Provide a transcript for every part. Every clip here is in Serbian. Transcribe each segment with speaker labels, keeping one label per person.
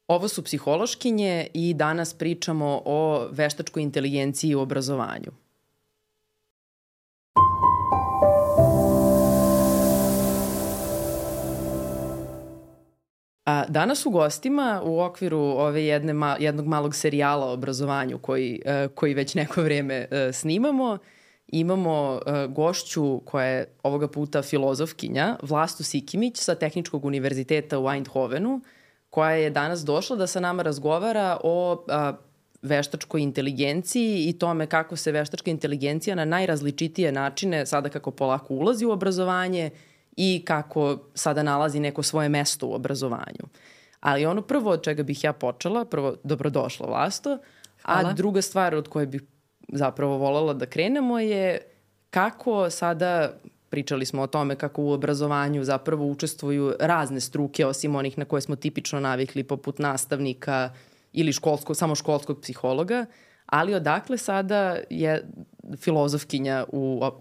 Speaker 1: Ovo su psihološkinje i danas pričamo o veštačkoj inteligenciji u obrazovanju. Danas u gostima u okviru jednog malog serijala o obrazovanju koji već neko vreme snimamo, imamo gošću koja je ovoga puta filozofkinja, Vlastu Sikimić sa Tehničkog univerziteta u Eindhovenu, koja je danas došla da sa nama razgovara o veštačkoj inteligenciji i tome kako se veštačka inteligencija na najrazličitije načine, sada kako polako ulazi u obrazovanje i kako sada nalazi neko svoje mesto u obrazovanju. Ali ono prvo od čega bih ja počela, prvo dobrodošla Vlasto,
Speaker 2: Hvala.
Speaker 1: A druga stvar od koje bih zapravo voljela da krenemo je kako sada, pričali smo o tome kako u obrazovanju zapravo učestvuju razne struke osim onih na koje smo tipično navikli poput nastavnika ili samo školskog psihologa, ali odakle sada je filozofkinja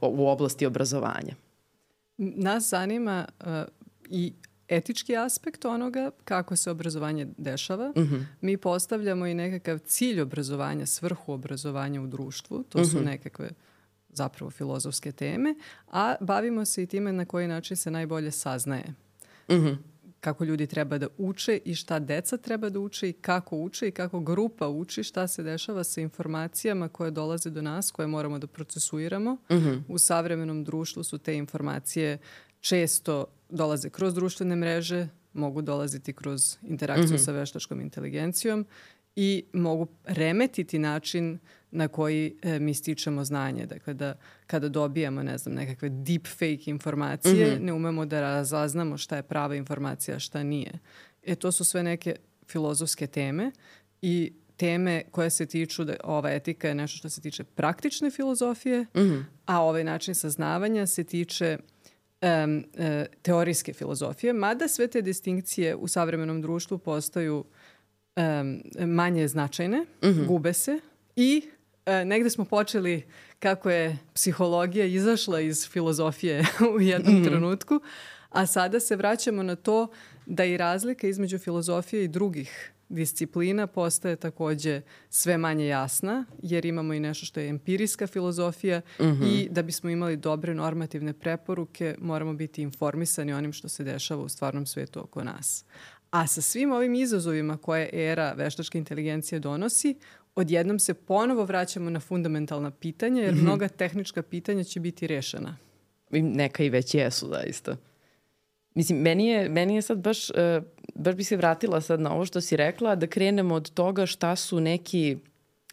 Speaker 1: u oblasti obrazovanja?
Speaker 2: Nas zanima i etički aspekt onoga kako se obrazovanje dešava. Mi postavljamo i nekakav cilj obrazovanja, svrhu obrazovanja u društvu. To su nekakve zapravo filozofske teme, a bavimo se i time na koji način se najbolje saznaje. Kako ljudi treba da uče i šta deca treba da uče i kako grupa uči, šta se dešava sa informacijama koje dolaze do nas, koje moramo da procesuiramo. U savremenom društvu su te informacije često dolaze kroz društvene mreže, mogu dolaziti kroz interakciju sa veštačkom inteligencijom i mogu remetiti način na koji mi stičemo znanje. Dakle, da kada dobijamo, nekakve deepfake informacije, ne umemo da razaznamo šta je prava informacija, šta nije. To su sve neke filozofske teme i teme koje se tiču, ova etika je nešto što se tiče praktične filozofije, a ovaj način saznavanja se tiče teorijske filozofije, mada sve te distinkcije u savremenom društvu postaju manje značajne, gube se i negde smo počeli kako je psihologija izašla iz filozofije u jednom trenutku, a sada se vraćamo na to da i razlika između filozofije i drugih disciplina postaje takođe sve manje jasna, jer imamo i nešto što je empirijska filozofija i da bismo imali dobre normativne preporuke moramo biti informisani onim što se dešava u stvarnom svetu oko nas. A sa svim ovim izazovima koje era veštačke inteligencije donosi, odjednom se ponovo vraćamo na fundamentalna pitanja, jer mnoga tehnička pitanja će biti rešena.
Speaker 1: Neka i već jesu, zaista. Mislim, meni je sad baš bi se vratila sad na ovo što si rekla, da krenemo od toga šta su neki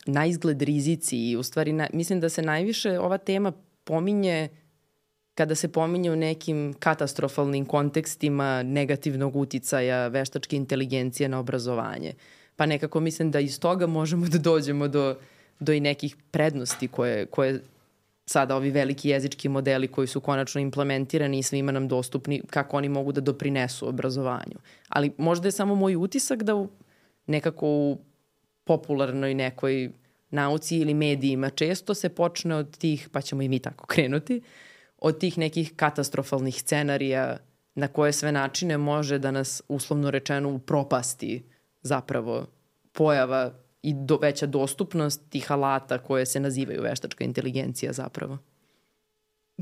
Speaker 1: naizgled rizici i u stvari mislim da se najviše ova tema pominje kada se pominje u nekim katastrofalnim kontekstima negativnog uticaja veštačke inteligencije na obrazovanje. Pa nekako mislim da iz toga možemo da dođemo do i nekih prednosti koje sada ovi veliki jezički modeli koji su konačno implementirani i svima nam dostupni, kako oni mogu da doprinesu obrazovanju. Ali možda je samo moj utisak da nekako u popularnoj nekoj nauci ili medijima često se počne od tih, pa ćemo i mi tako krenuti, od tih nekih katastrofalnih scenarija na koje sve načine može da nas uslovno rečeno upropasti zapravo pojava i veća dostupnost tih alata koje se nazivaju veštačka inteligencija zapravo.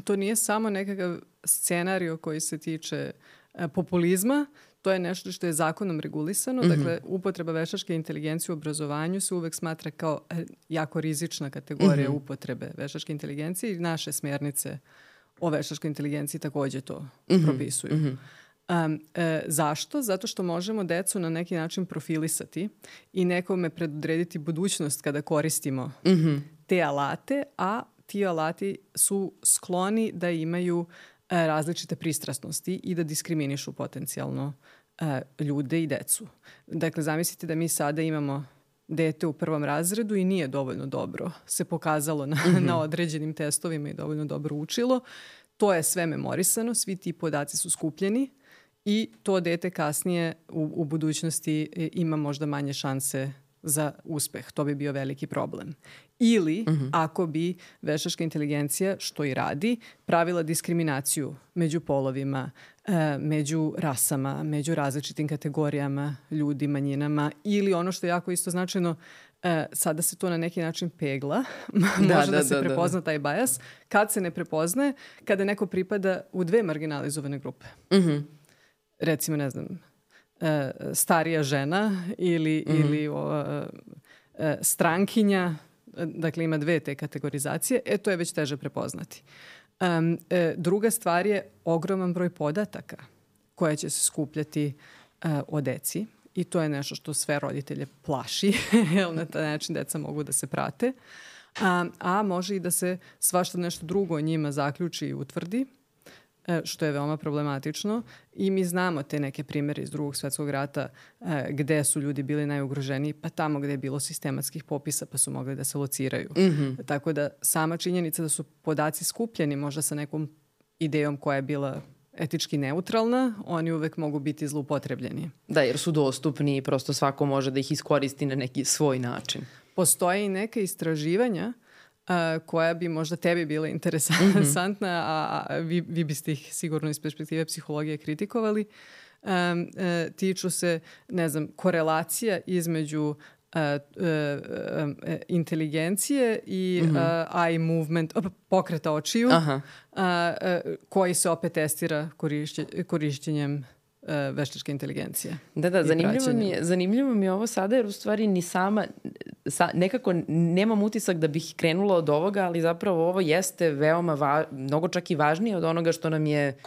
Speaker 2: To nije samo nekakav scenario koji se tiče populizma, to je nešto što je zakonom regulisano. Dakle, upotreba veštačke inteligencije u obrazovanju se uvek smatra kao jako rizična kategorija upotrebe veštačke inteligencije i naše smjernice o veštačkoj inteligenciji takođe to propisuju. Zašto? Zato što možemo decu na neki način profilisati i nekome predodrediti budućnost kada koristimo te alate, a ti alati su skloni da imaju različite pristrasnosti i da diskriminišu potencijalno ljude i decu. Dakle, zamislite da mi sada imamo dete u 1. razredu i nije dovoljno dobro se pokazalo na određenim testovima i dovoljno dobro učilo. To je sve memorisano, svi ti podaci su skupljeni i to dete kasnije u budućnosti ima možda manje šanse za uspeh. To bi bio veliki problem. Ili, ako bi veštačka inteligencija, što i radi, pravila diskriminaciju među polovima, među rasama, među različitim kategorijama, ljudi, manjinama, ili ono što je jako isto značajno, sada se to na neki način pegla, može da se prepozna taj bias. Kad se ne prepoznaje, kada neko pripada u dve marginalizovane grupe. Recimo, ne znam, starija žena ili strankinja, dakle ima dve te kategorizacije, to je već teže prepoznati. Druga stvar je ogroman broj podataka koja će se skupljati o deci i to je nešto što sve roditelje plaši, jer na taj način deca mogu da se prate, a može i da se svašta nešto drugo o njima zaključi i utvrdi, što je veoma problematično i mi znamo te neke primjere iz Drugog svjetskog rata gde su ljudi bili najugroženiji, pa tamo gde je bilo sistematskih popisa pa su mogli da se lociraju. Tako da sama činjenica da su podaci skupljeni možda sa nekom idejom koja je bila etički neutralna, oni uvek mogu biti zloupotrebljeni.
Speaker 1: Da, jer su dostupni i prosto svako može da ih iskoristi na neki svoj način.
Speaker 2: Postoje i neka istraživanja koja bi možda tebi bila interesantna, a vi biste ih sigurno iz perspektive psihologije kritikovali. Tiču se, ne znam, korelacija između inteligencije i eye movement, pokreta očiju, koji se opet testira korišćenjem veštačke inteligencije.
Speaker 1: Da, zanimljivo mi je ovo sada, jer u stvari ni sama, nekako nemam utisak da bih krenula od ovoga, ali zapravo ovo jeste veoma mnogo čak i važnije od onoga što nam je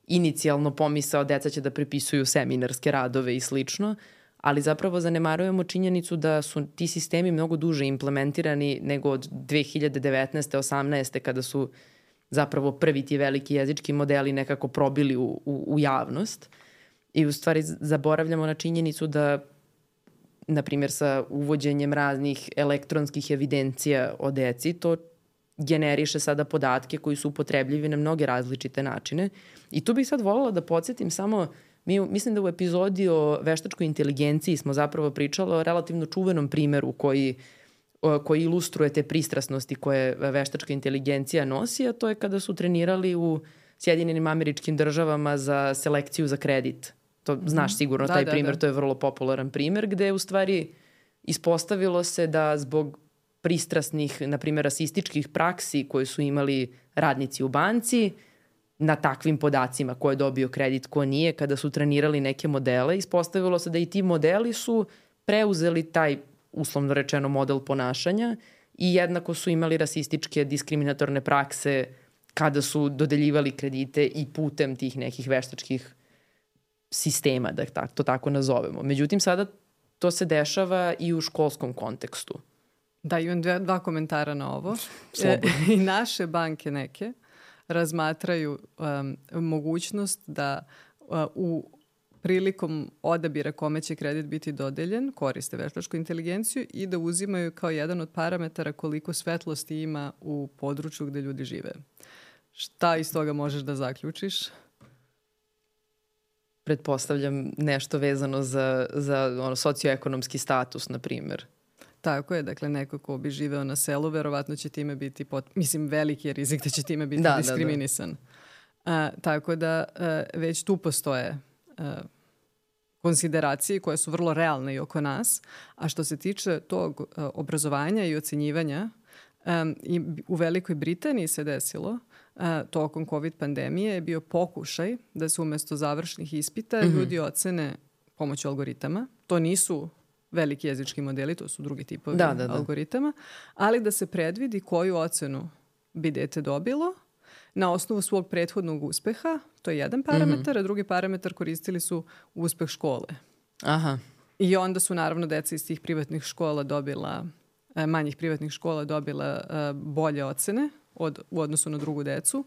Speaker 1: inicijalno pomisao deca će da prepisuju seminarske radove i slično, ali zapravo zanemarujemo činjenicu da su ti sistemi mnogo duže implementirani nego od 2019. 18. kada su zapravo prvi ti veliki jezički modeli nekako probili u javnost. I u stvari zaboravljamo na činjenicu da, na primjer, sa uvođenjem raznih elektronskih evidencija o deci, to generiše sada podatke koji su upotrebljivi na mnoge različite načine. I tu bih sad voljela da podsjetim samo, mislim da u epizodi o veštačkoj inteligenciji smo zapravo pričali o relativno čuvenom primeru koji ilustruje te pristrasnosti koje veštačka inteligencija nosi, a to je kada su trenirali u Sjedinjenim Američkim Državama za selekciju za kredit. To znaš sigurno taj primer, to je vrlo popularan primer, gde u stvari ispostavilo se da zbog pristrasnih, na primjer, rasističkih praksi koje su imali radnici u banci, na takvim podacima ko je dobio kredit, ko nije, kada su trenirali neke modele, ispostavilo se da i ti modeli su preuzeli taj, uslovno rečeno, model ponašanja i jednako su imali rasističke diskriminatorne prakse kada su dodeljivali kredite i putem tih nekih veštačkih sistema, da to tako nazovemo. Međutim, sada to se dešava i u školskom kontekstu.
Speaker 2: Da, imam dva komentara na ovo. I naše banke neke razmatraju mogućnost da u prilikom odabira kome će kredit biti dodeljen, koriste veštačku inteligenciju i da uzimaju kao jedan od parametara koliko svetlosti ima u području gde ljudi žive. Šta iz toga možeš da zaključiš?
Speaker 1: Pretpostavljam nešto vezano za socioekonomski status, na primjer.
Speaker 2: Tako je, dakle neko ko bi živeo na selu, verovatno će time biti, veliki je rizik da će time biti diskriminisan. Tako da već tu postoje konsideracije koje su vrlo realne i oko nas, a što se tiče tog obrazovanja i ocenjivanja, i u Velikoj Britaniji se desilo tokom COVID pandemije je bio pokušaj da se umjesto završnih ispita ljudi ocene pomoću algoritama. To nisu veliki jezički modeli, to su drugi tipovi algoritama, ali da se predvidi koju ocenu bi dete dobilo na osnovu svog prethodnog uspeha, to je jedan parametar, a drugi parametar koristili su uspeh škole.
Speaker 1: Aha.
Speaker 2: I onda su naravno deca iz tih privatnih škola manjih privatnih škola dobila bolje ocene u odnosu na drugu decu,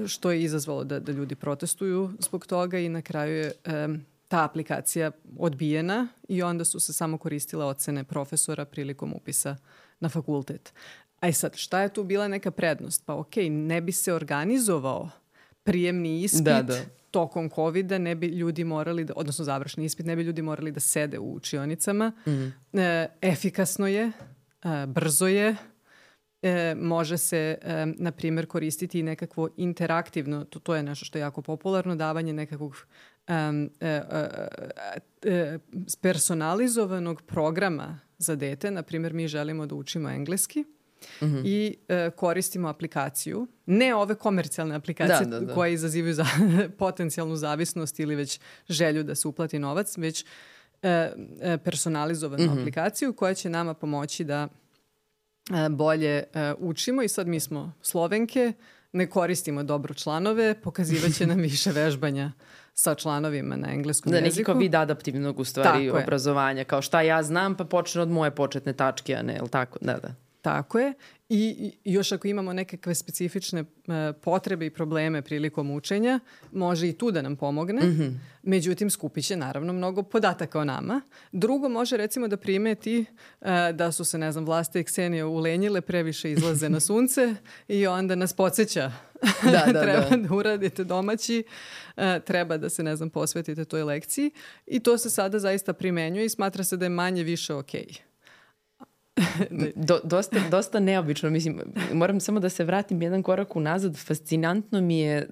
Speaker 2: što je izazvalo da ljudi protestuju zbog toga i na kraju je ta aplikacija odbijena i onda su se samo koristile ocene profesora prilikom upisa na fakultet. A sad, šta je tu bila neka prednost? Pa ne bi se organizovao prijemni ispit tokom COVID-a, ne bi ljudi morali odnosno završni ispit, ne bi ljudi morali da sede u učionicama. Efikasno je, brzo je može se, na primjer, koristiti i nekakvo interaktivno, to je nešto što je jako popularno, davanje nekakvog personalizovanog programa za dete. Na primjer, mi želimo da učimo engleski i koristimo aplikaciju. Ne ove komercijalne aplikacije koje izazivaju potencijalnu zavisnost ili već želju da se uplati novac, već personalizovanu aplikaciju koja će nama pomoći da bolje učimo. I sad mi smo Slovenke, ne koristimo dobro članove, pokazivat će nam više vežbanja sa članovima na engleskom jeziku.
Speaker 1: Neki kao vid adaptivnog u stvari obrazovanja. Kao šta ja znam pa počne od moje početne tačke, a ne, jel tako? Da.
Speaker 2: Tako je. I još ako imamo nekakve specifične potrebe i probleme prilikom učenja, može i tu da nam pomogne. Međutim, skupit će naravno mnogo podataka o nama. Drugo, može recimo da primeti da su se, ne znam, Vlasta i Ksenija ulenjile, previše izlaze na sunce i onda nas podsjeća. Treba da uradite domaći, treba da se, ne znam, posvetite toj lekciji. I to se sada zaista primenjuje i smatra se da je manje više okej.
Speaker 1: Dosta neobično. Mislim, moram samo da se vratim jedan korak unazad. Fascinantno mi je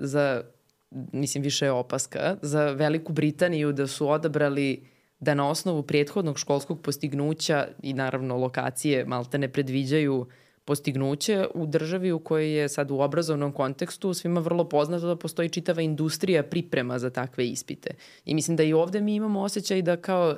Speaker 1: više je opaska, za Veliku Britaniju da su odabrali da na osnovu prethodnog školskog postignuća i naravno lokacije malte ne predviđaju postignuće u državi u kojoj je sad u obrazovnom kontekstu svima vrlo poznato da postoji čitava industrija priprema za takve ispite. I mislim da i ovde mi imamo osjećaj da kao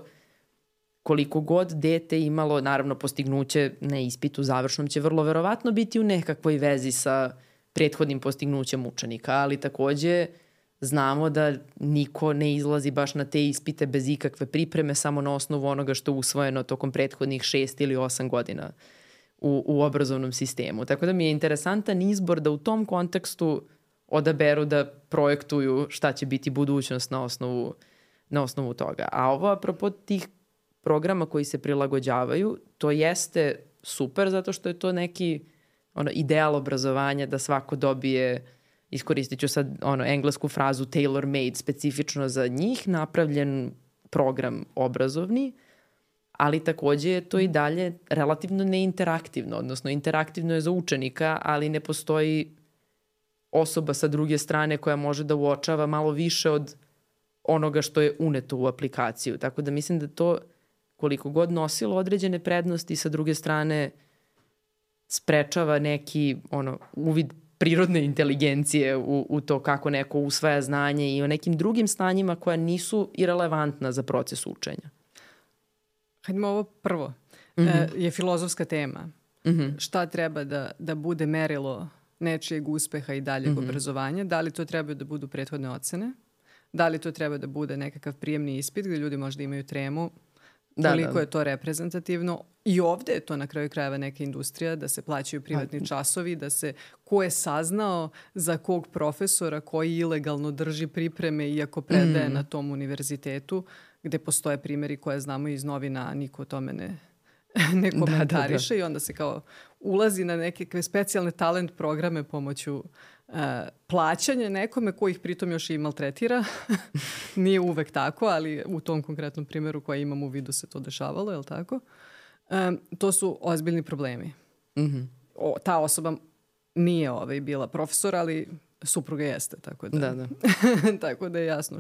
Speaker 1: koliko god dete imalo, naravno postignuće na ispitu završnom će vrlo verovatno biti u nekakvoj vezi sa prethodnim postignućem učenika, ali takođe znamo da niko ne izlazi baš na te ispite bez ikakve pripreme, samo na osnovu onoga što je usvojeno tokom prethodnih 6 ili 8 godina u obrazovnom sistemu. Tako da mi je interesantan izbor da u tom kontekstu odaberu da projektuju šta će biti budućnost na osnovu toga. A ovo apropo tih programa koji se prilagođavaju, to jeste super zato što je to neki ideal obrazovanja da svako dobije, iskoristit ću sad englesku frazu tailor made, specifično za njih napravljen program obrazovni, ali takođe je to i dalje relativno neinteraktivno, odnosno interaktivno je za učenika, ali ne postoji osoba sa druge strane koja može da uočava malo više od onoga što je uneto u aplikaciju. Tako da mislim da to koliko god nosilo određene prednosti, sa druge strane sprečava neki uvid prirodne inteligencije u to kako neko usvaja znanje i o nekim drugim stanjima koja nisu irelevantna za proces učenja.
Speaker 2: Hajdemo ovo prvo. Je filozofska tema. Šta treba da bude merilo nečijeg uspeha i daljeg obrazovanja? Da li to treba da budu prethodne ocene? Da li to treba da bude nekakav prijemni ispit gdje ljudi možda imaju tremu? Koliko je to reprezentativno. I ovde je to na kraju krajeva neka industrija, da se plaćaju privatni časovi, da se ko je saznao za kog profesora koji ilegalno drži pripreme iako predaje na tom univerzitetu, gde postoje primjeri koje znamo iz novina, a niko o tome ne komentariše i onda se kao ulazi na neke specijalne talent programe pomoću plaćanja nekome koji ih pritom još i maltretira. Nije uvek tako, ali u tom konkretnom primjeru koji imam u vidu se to dešavalo, je li tako? To su ozbiljni problemi. Ta osoba nije bila profesor, ali supruga jeste, tako da. Tako da je jasno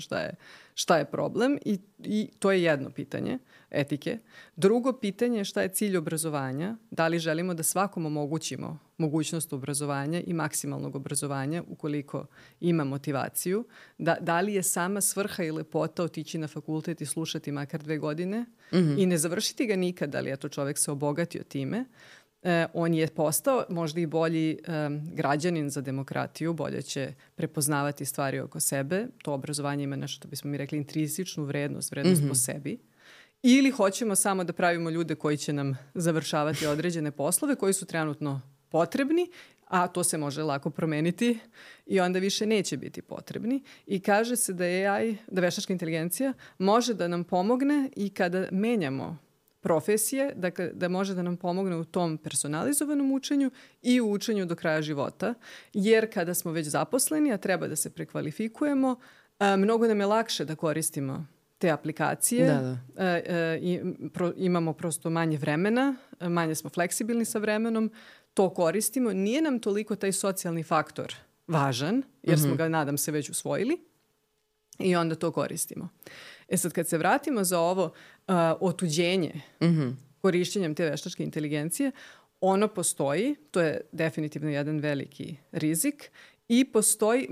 Speaker 2: šta je problem i to je jedno pitanje etike. Drugo pitanje je šta je cilj obrazovanja, da li želimo da svakom omogućimo mogućnost obrazovanja i maksimalnog obrazovanja ukoliko ima motivaciju, da li je sama svrha i lepota otići na fakultet i slušati makar 2 godine i ne završiti ga nikad, ali eto čovjek se obogatio time. On je postao možda i bolji građanin za demokratiju, bolje će prepoznavati stvari oko sebe. To obrazovanje ima nešto, da bismo mi rekli, intrinzičnu vrednost po sebi. Ili hoćemo samo da pravimo ljude koji će nam završavati određene poslove koji su trenutno potrebni, a to se može lako promeniti i onda više neće biti potrebni. I kaže se da AI, da veštačka inteligencija može da nam pomogne i kada menjamo profesije, dakle da može da nam pomogne u tom personalizovanom učenju i u učenju do kraja života, jer kada smo već zaposleni, a treba da se prekvalifikujemo, mnogo nam je lakše da koristimo te aplikacije. Imamo prosto manje vremena, manje smo fleksibilni sa vremenom, to koristimo. Nije nam toliko taj socijalni faktor važan, jer smo ga, nadam se, već usvojili i onda to koristimo. Sad, kad se vratimo za ovo otuđenje korišćenjem te veštačke inteligencije, ono postoji, to je definitivno jedan veliki rizik i postoji,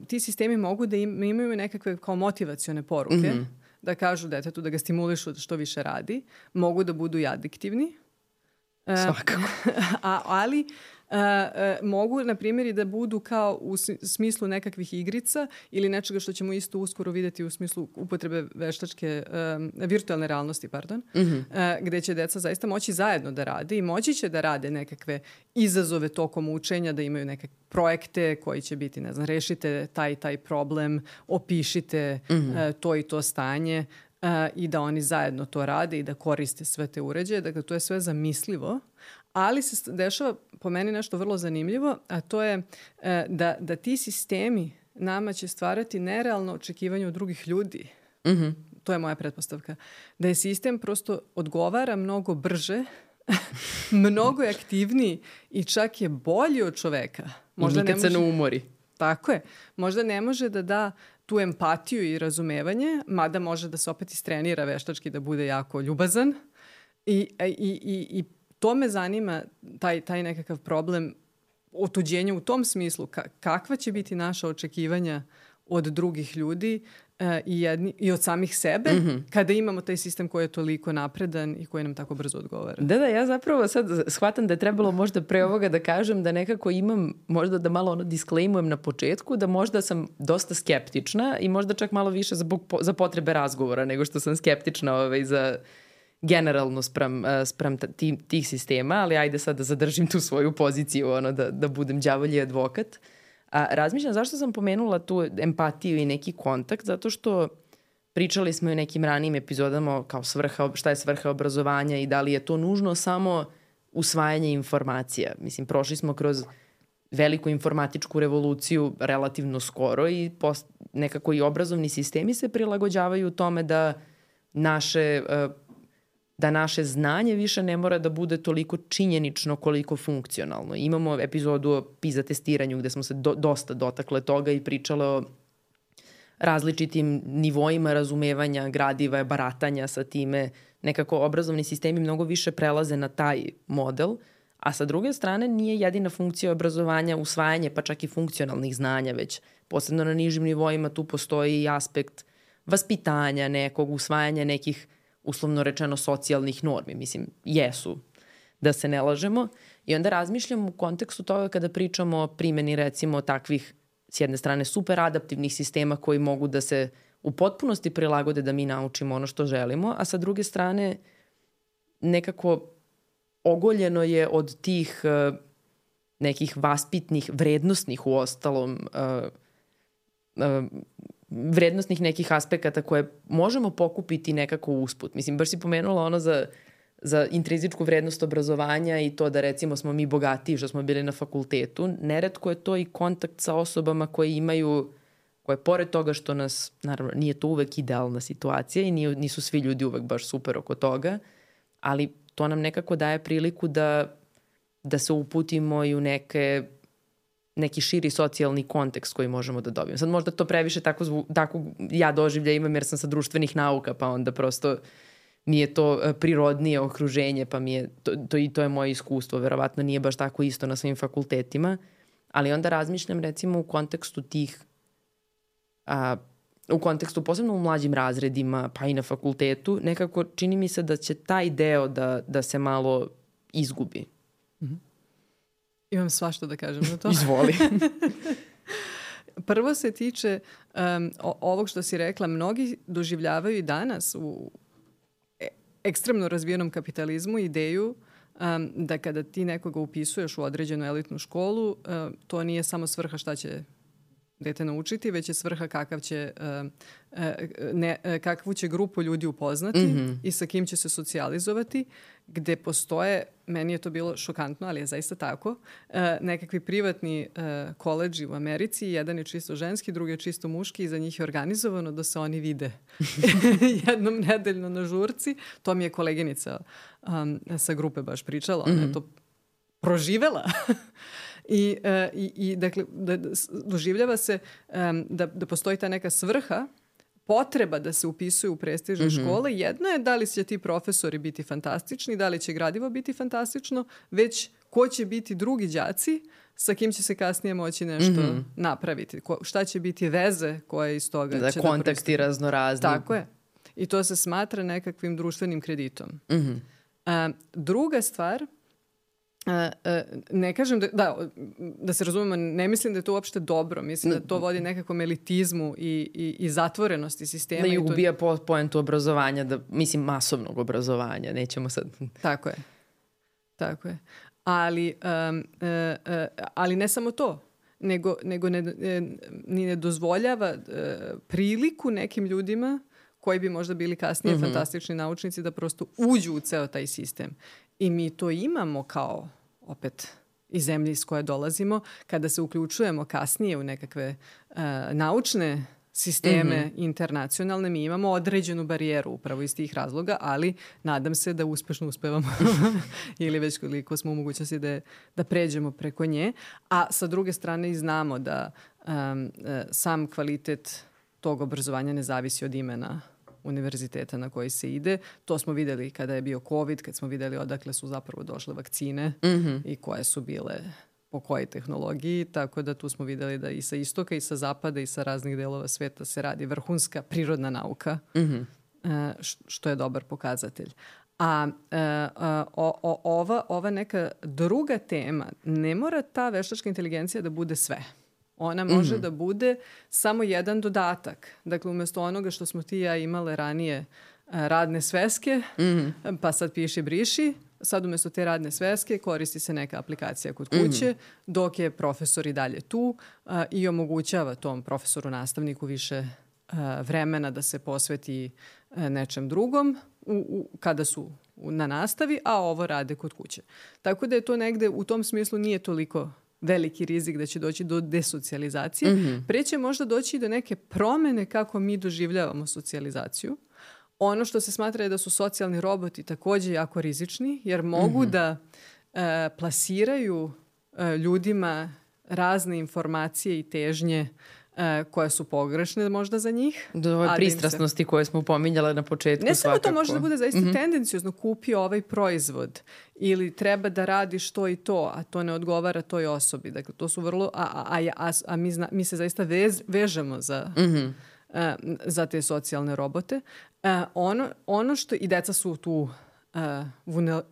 Speaker 2: ti sistemi mogu da imaju nekakve kao motivacione poruke, da kažu detetu da ga stimulišu da što više radi, mogu da budu i adiktivni.
Speaker 1: Svakako.
Speaker 2: Ali mogu, na primjer, i da budu kao u smislu nekakvih igrica ili nečega što ćemo isto uskoro vidjeti u smislu upotrebe veštačke, virtualne realnosti, gde će deca zaista moći zajedno da rade i moći će da rade nekakve izazove tokom učenja, da imaju neke projekte koji će biti, ne znam, rešite taj problem, opišite to i to stanje i da oni zajedno to rade i da koriste sve te uređaje. Dakle, to je sve zamislivo. Ali se dešava po meni nešto vrlo zanimljivo, a to je da ti sistemi nama će stvarati nerealno očekivanje od drugih ljudi. To je moja pretpostavka. Da je sistem prosto odgovara mnogo brže, mnogo je aktivniji i čak je bolji od čoveka.
Speaker 1: Možda nikad se ne umori.
Speaker 2: Tako je. Možda ne može da da tu empatiju i razumevanje, mada može da se opet istrenira veštački da bude jako ljubazan i to me zanima, taj nekakav problem otuđenja u tom smislu. Kakva će biti naša očekivanja od drugih ljudi i od samih sebe kada imamo taj sistem koji je toliko napredan i koji nam tako brzo odgovara.
Speaker 1: Da, ja zapravo sad shvatam da je trebalo možda pre ovoga da kažem da nekako imam, možda da malo disclaimujem na početku, da možda sam dosta skeptična i možda čak malo više za potrebe razgovora nego što sam skeptična za generalno sprem tih sistema, ali ajde sad da zadržim tu svoju poziciju, da budem đavolji advokat. Razmišljam zašto sam pomenula tu empatiju i neki kontakt, zato što pričali smo i u nekim ranijim epizodama kao šta je svrha obrazovanja i da li je to nužno samo usvajanje informacija. Mislim, prošli smo kroz veliku informatičku revoluciju relativno skoro i nekako i obrazovni sistemi se prilagođavaju tome da naše znanje više ne mora da bude toliko činjenično koliko funkcionalno. Imamo epizodu o PISA testiranju gde smo se dosta dotakle toga i pričale o različitim nivoima razumevanja gradiva, baratanja sa time. Nekako obrazovni sistemi mnogo više prelaze na taj model, a sa druge strane nije jedina funkcija obrazovanja usvajanje pa čak i funkcionalnih znanja, već posebno na nižim nivoima tu postoji i aspekt vaspitanja nekog, usvajanja nekih uslovno rečeno socijalnih normi. Mislim, jesu, da se ne lažemo. I onda razmišljam u kontekstu toga kada pričamo o primjeni recimo takvih, s jedne strane, super adaptivnih sistema koji mogu da se u potpunosti prilagode da mi naučimo ono što želimo, a sa druge strane nekako ogoljeno je od tih nekih vaspitnih, vrednosnih uostalom vrednostnih nekih aspekata koje možemo pokupiti nekako usput. Mislim, baš si pomenula ono za intrinzičku vrednost obrazovanja i to da recimo smo mi bogatiji što smo bili na fakultetu. Neretko je to i kontakt sa osobama koje pored toga što nas, naravno, nije to uvek idealna situacija i nisu svi ljudi uvek baš super oko toga, ali to nam nekako daje priliku da se uputimo i u neki širi socijalni kontekst koji možemo da dobijemo. Sad možda to previše tako ja doživlja imam jer sam sa društvenih nauka, pa onda prosto mi je to prirodnije okruženje, pa mi je to je moje iskustvo. Verovatno nije baš tako isto na svim fakultetima, ali onda razmišljam recimo u kontekstu u kontekstu posebno u mlađim razredima, pa i na fakultetu, nekako čini mi se da će taj deo da se malo izgubi.
Speaker 2: Imam svašta da kažem na to.
Speaker 1: Izvoli.
Speaker 2: Prvo se tiče ovog što si rekla, mnogi doživljavaju i danas u ekstremno razvijenom kapitalizmu ideju da kada ti nekoga upisuješ u određenu elitnu školu, to nije samo svrha šta će dete naučiti, već je svrha kakvu će grupu ljudi upoznati i sa kim će se socijalizovati, gde postoje, meni je to bilo šokantno, ali je zaista tako, nekakvi privatni koledži u Americi, jedan je čisto ženski, drugi je čisto muški i za njih je organizovano da se oni vide jednom nedeljno na žurci. To mi je koleginica sa grupe baš pričala, ona je to proživela. I dakle, doživljava se da postoji ta neka svrha, potreba da se upisuju u prestižne škole. Jedno je da li će ti profesori biti fantastični, da li će gradivo biti fantastično, već ko će biti drugi đaci sa kim će se kasnije moći nešto napraviti. Šta će biti veze koje iz toga
Speaker 1: da
Speaker 2: će
Speaker 1: kontakti raznorazni.
Speaker 2: Tako je. I to se smatra nekakvim društvenim kreditom. Druga stvar, ne kažem da se razumemo, ne mislim da je to uopšte dobro. Mislim da to vodi nekakvom elitizmu i zatvorenosti sistema.
Speaker 1: Da i ubija poentu obrazovanja, masovnog obrazovanja. Nećemo sad...
Speaker 2: Tako je. Ali ne samo to, nego ne dozvoljava priliku nekim ljudima koji bi možda bili kasnije fantastični naučnici da prosto uđu u ceo taj sistem. I mi to imamo kao, opet, iz zemlje iz koje dolazimo, kada se uključujemo kasnije u nekakve naučne sisteme internacionalne, mi imamo određenu barijeru upravo iz tih razloga, ali nadam se da uspešno uspevamo ili već koliko smo u mogućnosti da pređemo preko nje. A sa druge strane i znamo da sam kvalitet tog obrazovanja ne zavisi od imena univerziteta na koji se ide. To smo videli kada je bio COVID, kad smo videli odakle su zapravo došle vakcine i koje su bile po kojoj tehnologiji, tako da tu smo videli da i sa istoka i sa zapada i sa raznih delova sveta se radi vrhunska prirodna nauka, što je dobar pokazatelj. A ova neka druga tema, ne mora ta veštačka inteligencija da bude sve. Ona može da bude samo jedan dodatak. Dakle, umjesto onoga što smo ti i ja imale ranije radne sveske, pa sad piši, briši, sad umjesto te radne sveske koristi se neka aplikacija kod kuće, dok je profesor i dalje tu i omogućava tom profesoru, nastavniku više vremena da se posveti nečem drugom kada su na nastavi, a ovo rade kod kuće. Tako da je to negde, u tom smislu nije toliko veliki rizik da će doći do desocijalizacije. Pre će možda doći do neke promene kako mi doživljavamo socijalizaciju. Ono što se smatra je da su socijalni roboti također jako rizični, jer mogu da plasiraju ljudima razne informacije i težnje koje su pogrešne možda za njih.
Speaker 1: Do ove pristrasnosti koje smo pominjale na početku.
Speaker 2: Ne samo to, može da bude zaista tendencijozno, kupi ovaj proizvod ili treba da radiš to i to, a to ne odgovara toj osobi. Dakle, to su vrlo... A mi se zaista vežemo za te socijalne robote. Ono što... I deca su tu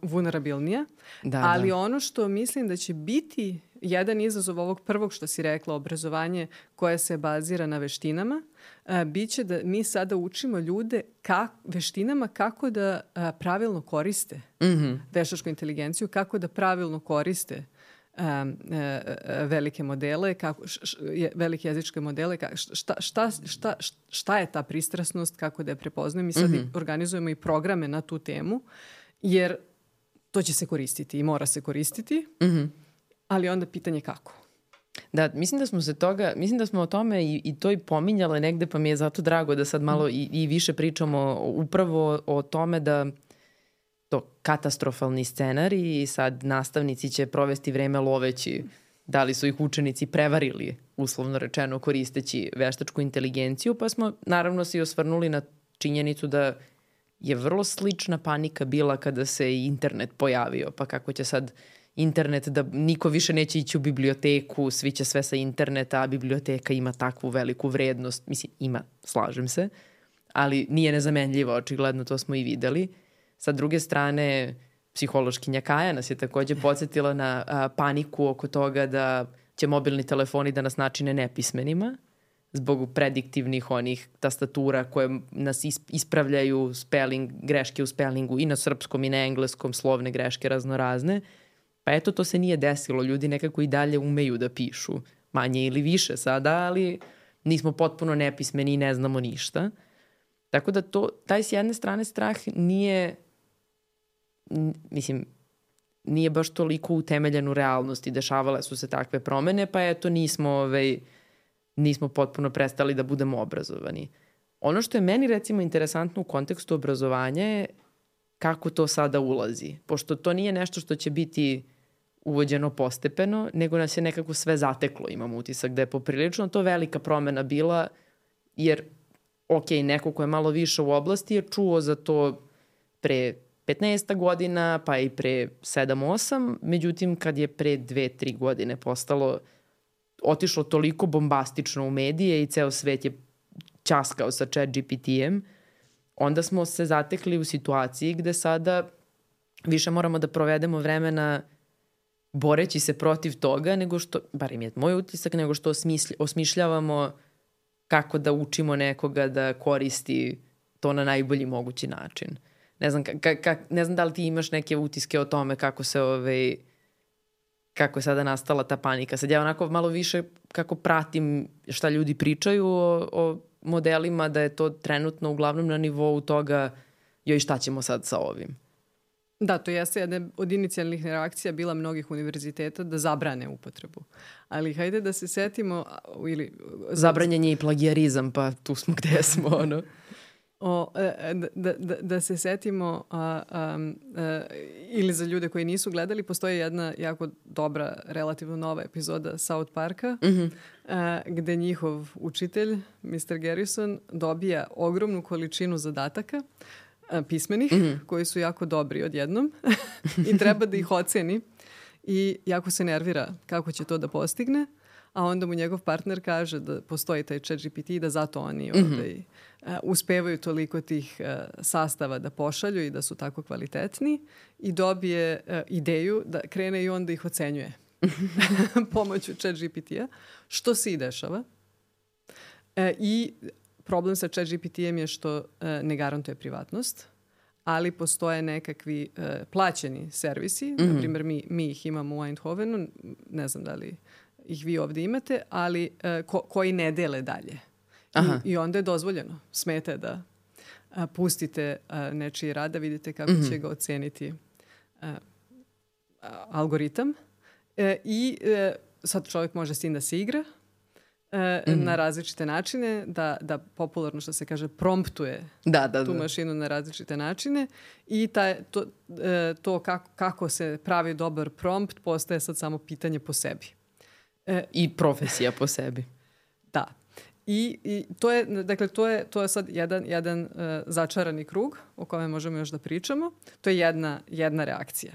Speaker 2: vulnerabilnija, ali ono što mislim da će biti jedan izazov ovog prvog što si rekla, obrazovanje koje se bazira na veštinama, bit će da mi sada učimo ljude veštinama kako da pravilno koriste veštačku inteligenciju, kako da pravilno koriste velike modele, velike jezičke modele, šta je ta pristrasnost, kako da je prepoznajem. Mi sad organizujemo i programe na tu temu, jer to će se koristiti i mora se koristiti, ali onda pitanje kako.
Speaker 1: Da, mislim da smo o tome i to i pominjale negde, pa mi je zato drago da sad malo i više pričamo upravo o tome da to katastrofalni scenarij i sad nastavnici će provesti vreme loveći da li su ih učenici prevarili, uslovno rečeno, koristeći veštačku inteligenciju, pa smo naravno se i osvrnuli na činjenicu da je vrlo slična panika bila kada se i internet pojavio, pa kako će sad internet, da niko više neće ići u biblioteku, svi će sve sa interneta, a biblioteka ima takvu veliku vrednost. Mislim, ima, slažem se, ali nije nezamenljivo, očigledno, to smo i videli. Sa druge strane, psihološkinja Kaja nas je također podsjetila na paniku oko toga da će mobilni telefoni da nas načine nepismenima zbog prediktivnih onih tastatura koje nas ispravljaju greške u spellingu i na srpskom i na engleskom, slovne greške raznorazne. Pa eto, to se nije desilo. Ljudi nekako i dalje umeju da pišu. manje ili više sada, ali nismo potpuno nepismeni i ne znamo ništa. Tako da taj s jedne strane strah nije, mislim, nije baš toliko utemeljen u realnosti. Dešavale su se takve promene, pa eto nismo potpuno prestali da budemo obrazovani. Ono što je meni recimo interesantno u kontekstu obrazovanja je kako to sada ulazi. Pošto to nije nešto što će biti uvođeno postepeno, nego nas je nekako sve zateklo, imam utisak da je poprilično to velika promena bila, jer neko ko je malo više u oblasti je čuo za to pre 15 godina, pa i pre 7-8, međutim kad je pre 2-3 godine otišlo toliko bombastično u medije i ceo svet je ćaskao sa ChatGPT-em, onda smo se zatekli u situaciji gde sada više moramo da provedemo vremena boreći se protiv toga, nego što, bar im je moj utisak, nego što osmišljavamo kako da učimo nekoga da koristi to na najbolji mogući način. Ne znam, ne znam da li ti imaš neke utiske o tome kako je sada nastala ta panika. Sad ja onako malo više kako pratim šta ljudi pričaju o modelima, da je to trenutno uglavnom na nivou toga joj šta ćemo sad sa ovim.
Speaker 2: Da, to jeste jedna od inicijalnih reakcija bila mnogih univerziteta da zabrane upotrebu. Ali hajde da se setimo...
Speaker 1: Zabranjen je i plagijarizam, pa tu smo gde smo,
Speaker 2: Da se setimo, ili za ljude koji nisu gledali, postoji jedna jako dobra, relativno nova epizoda South Parka, gde njihov učitelj, Mr. Garrison, dobija ogromnu količinu zadataka pismenih, koji su jako dobri odjednom i treba da ih oceni i jako se nervira kako će to da postigne, a onda mu njegov partner kaže da postoji taj ChatGPT i da zato oni uspevaju toliko tih sastava da pošalju i da su tako kvalitetni i dobije ideju da krene i on da ih ocenjuje pomoću ChatGPT-a, što se i dešava. I problem sa ChatGPT-em je što ne garantuje privatnost, ali postoje nekakvi plaćeni servisi, na primjer mi ih imamo u Eindhovenu, ne znam da li ih vi ovdje imate, ali koji ne dele dalje. I onda je dozvoljeno, smete da pustite nečiji rad, da vidite kako će ga oceniti algoritam. I sad čovjek može s tim da se igra na različite načine, da popularno što se kaže promptuje tu mašinu na različite načine i to kako se pravi dobar prompt postaje sad samo pitanje po sebi.
Speaker 1: I profesija po sebi.
Speaker 2: Da. I to je sad jedan začarani krug o kome možemo još da pričamo. To je jedna reakcija.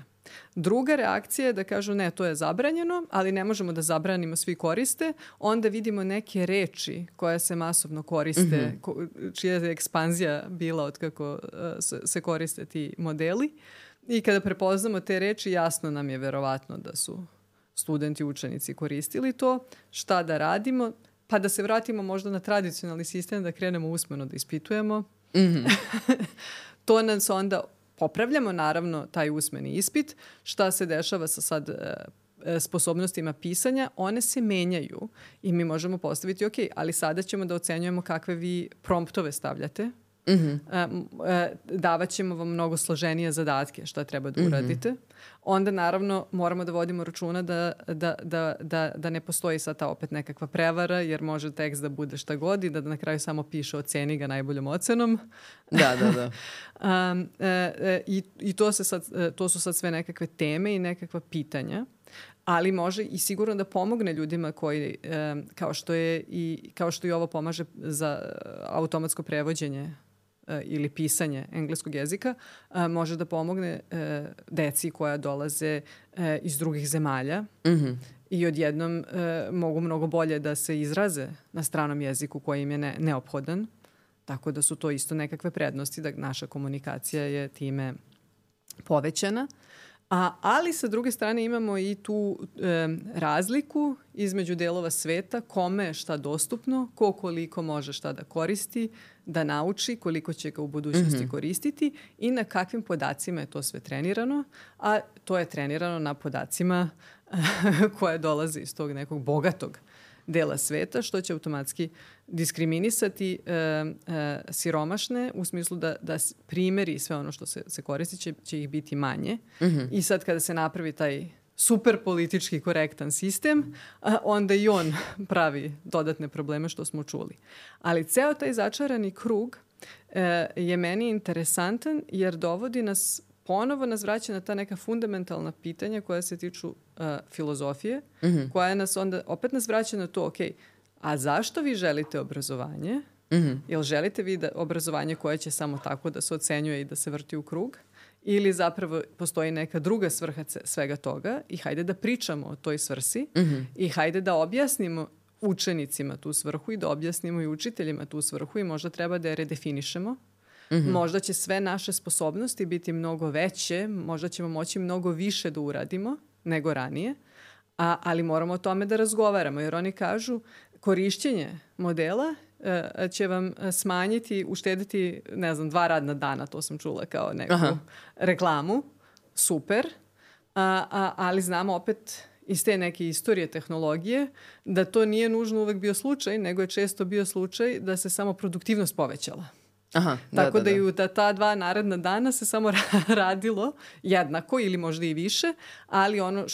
Speaker 2: Druga reakcija je da kažu ne, to je zabranjeno, ali ne možemo da zabranimo, svi koriste. Onda vidimo neke reči koje se masovno koriste, čija je ekspanzija bila od kako se koriste ti modeli. I kada prepoznamo te reči, jasno nam je verovatno da su studenti, učenici koristili to. Šta da radimo? Pa da se vratimo možda na tradicionalni sistem, da krenemo usmeno da ispitujemo. To nas onda popravljamo, naravno, taj usmeni ispit. Šta se dešava sa sad sposobnostima pisanja? One se menjaju i mi možemo postaviti, ok, ali sada ćemo da ocenjujemo kakve vi promptove stavljate. Davat ćemo vam mnogo složenije zadatke šta treba da uradite. Onda naravno moramo da vodimo računa da ne postoji sad ta opet nekakva prevara, jer može tekst da bude šta god i da na kraju samo piše oceni ga najboljom ocenom.
Speaker 1: Da.
Speaker 2: I to su sad sve nekakve teme i nekakva pitanja, ali može i sigurno da pomogne ljudima koji, kao što i ovo pomaže za automatsko prevođenje ili pisanje engleskog jezika, može da pomogne deci koja dolaze iz drugih zemalja i odjednom mogu mnogo bolje da se izraze na stranom jeziku koji im je neophodan. Tako da su to isto nekakve prednosti, da naša komunikacija je time povećana. Ali sa druge strane imamo i tu razliku između delova sveta, kome je šta dostupno, koliko može šta da koristi, da nauči, koliko će ga u budućnosti koristiti i na kakvim podacima je to sve trenirano. A to je trenirano na podacima koje dolaze iz tog nekog bogatog dela sveta, što će automatski diskriminisati siromašne u smislu da primeri i sve ono što se koristi će ih biti manje. I sad kada se napravi taj super politički korektan sistem, onda i on pravi dodatne probleme što smo čuli. Ali ceo taj začarani krug je meni interesantan jer dovodi nas, ponovo nas vraća na ta neka fundamentalna pitanja koja se tiču filozofije, koja nas onda, opet nas vraća na to, ok, a zašto vi želite obrazovanje? Jel želite vi obrazovanje koje će samo tako da se ocenjuje i da se vrti u krug? Ili zapravo postoji neka druga svrha svega toga i hajde da pričamo o toj svrsi i hajde da objasnimo učenicima tu svrhu i da objasnimo i učiteljima tu svrhu i možda treba da je redefinišemo. Možda će sve naše sposobnosti biti mnogo veće, možda ćemo moći mnogo više da uradimo nego ranije, ali moramo o tome da razgovaramo jer oni kažu korišćenje modela će vam smanjiti, uštediti, 2 radna dana, to sam čula kao neku reklamu. Super. Ali znamo opet iz te neke istorije tehnologije da to nije nužno uvek bio slučaj, nego je često bio slučaj da se samo produktivnost povećala. Tako da i ta 2 naredna dana se samo radilo jednako ili možda i više, ali ono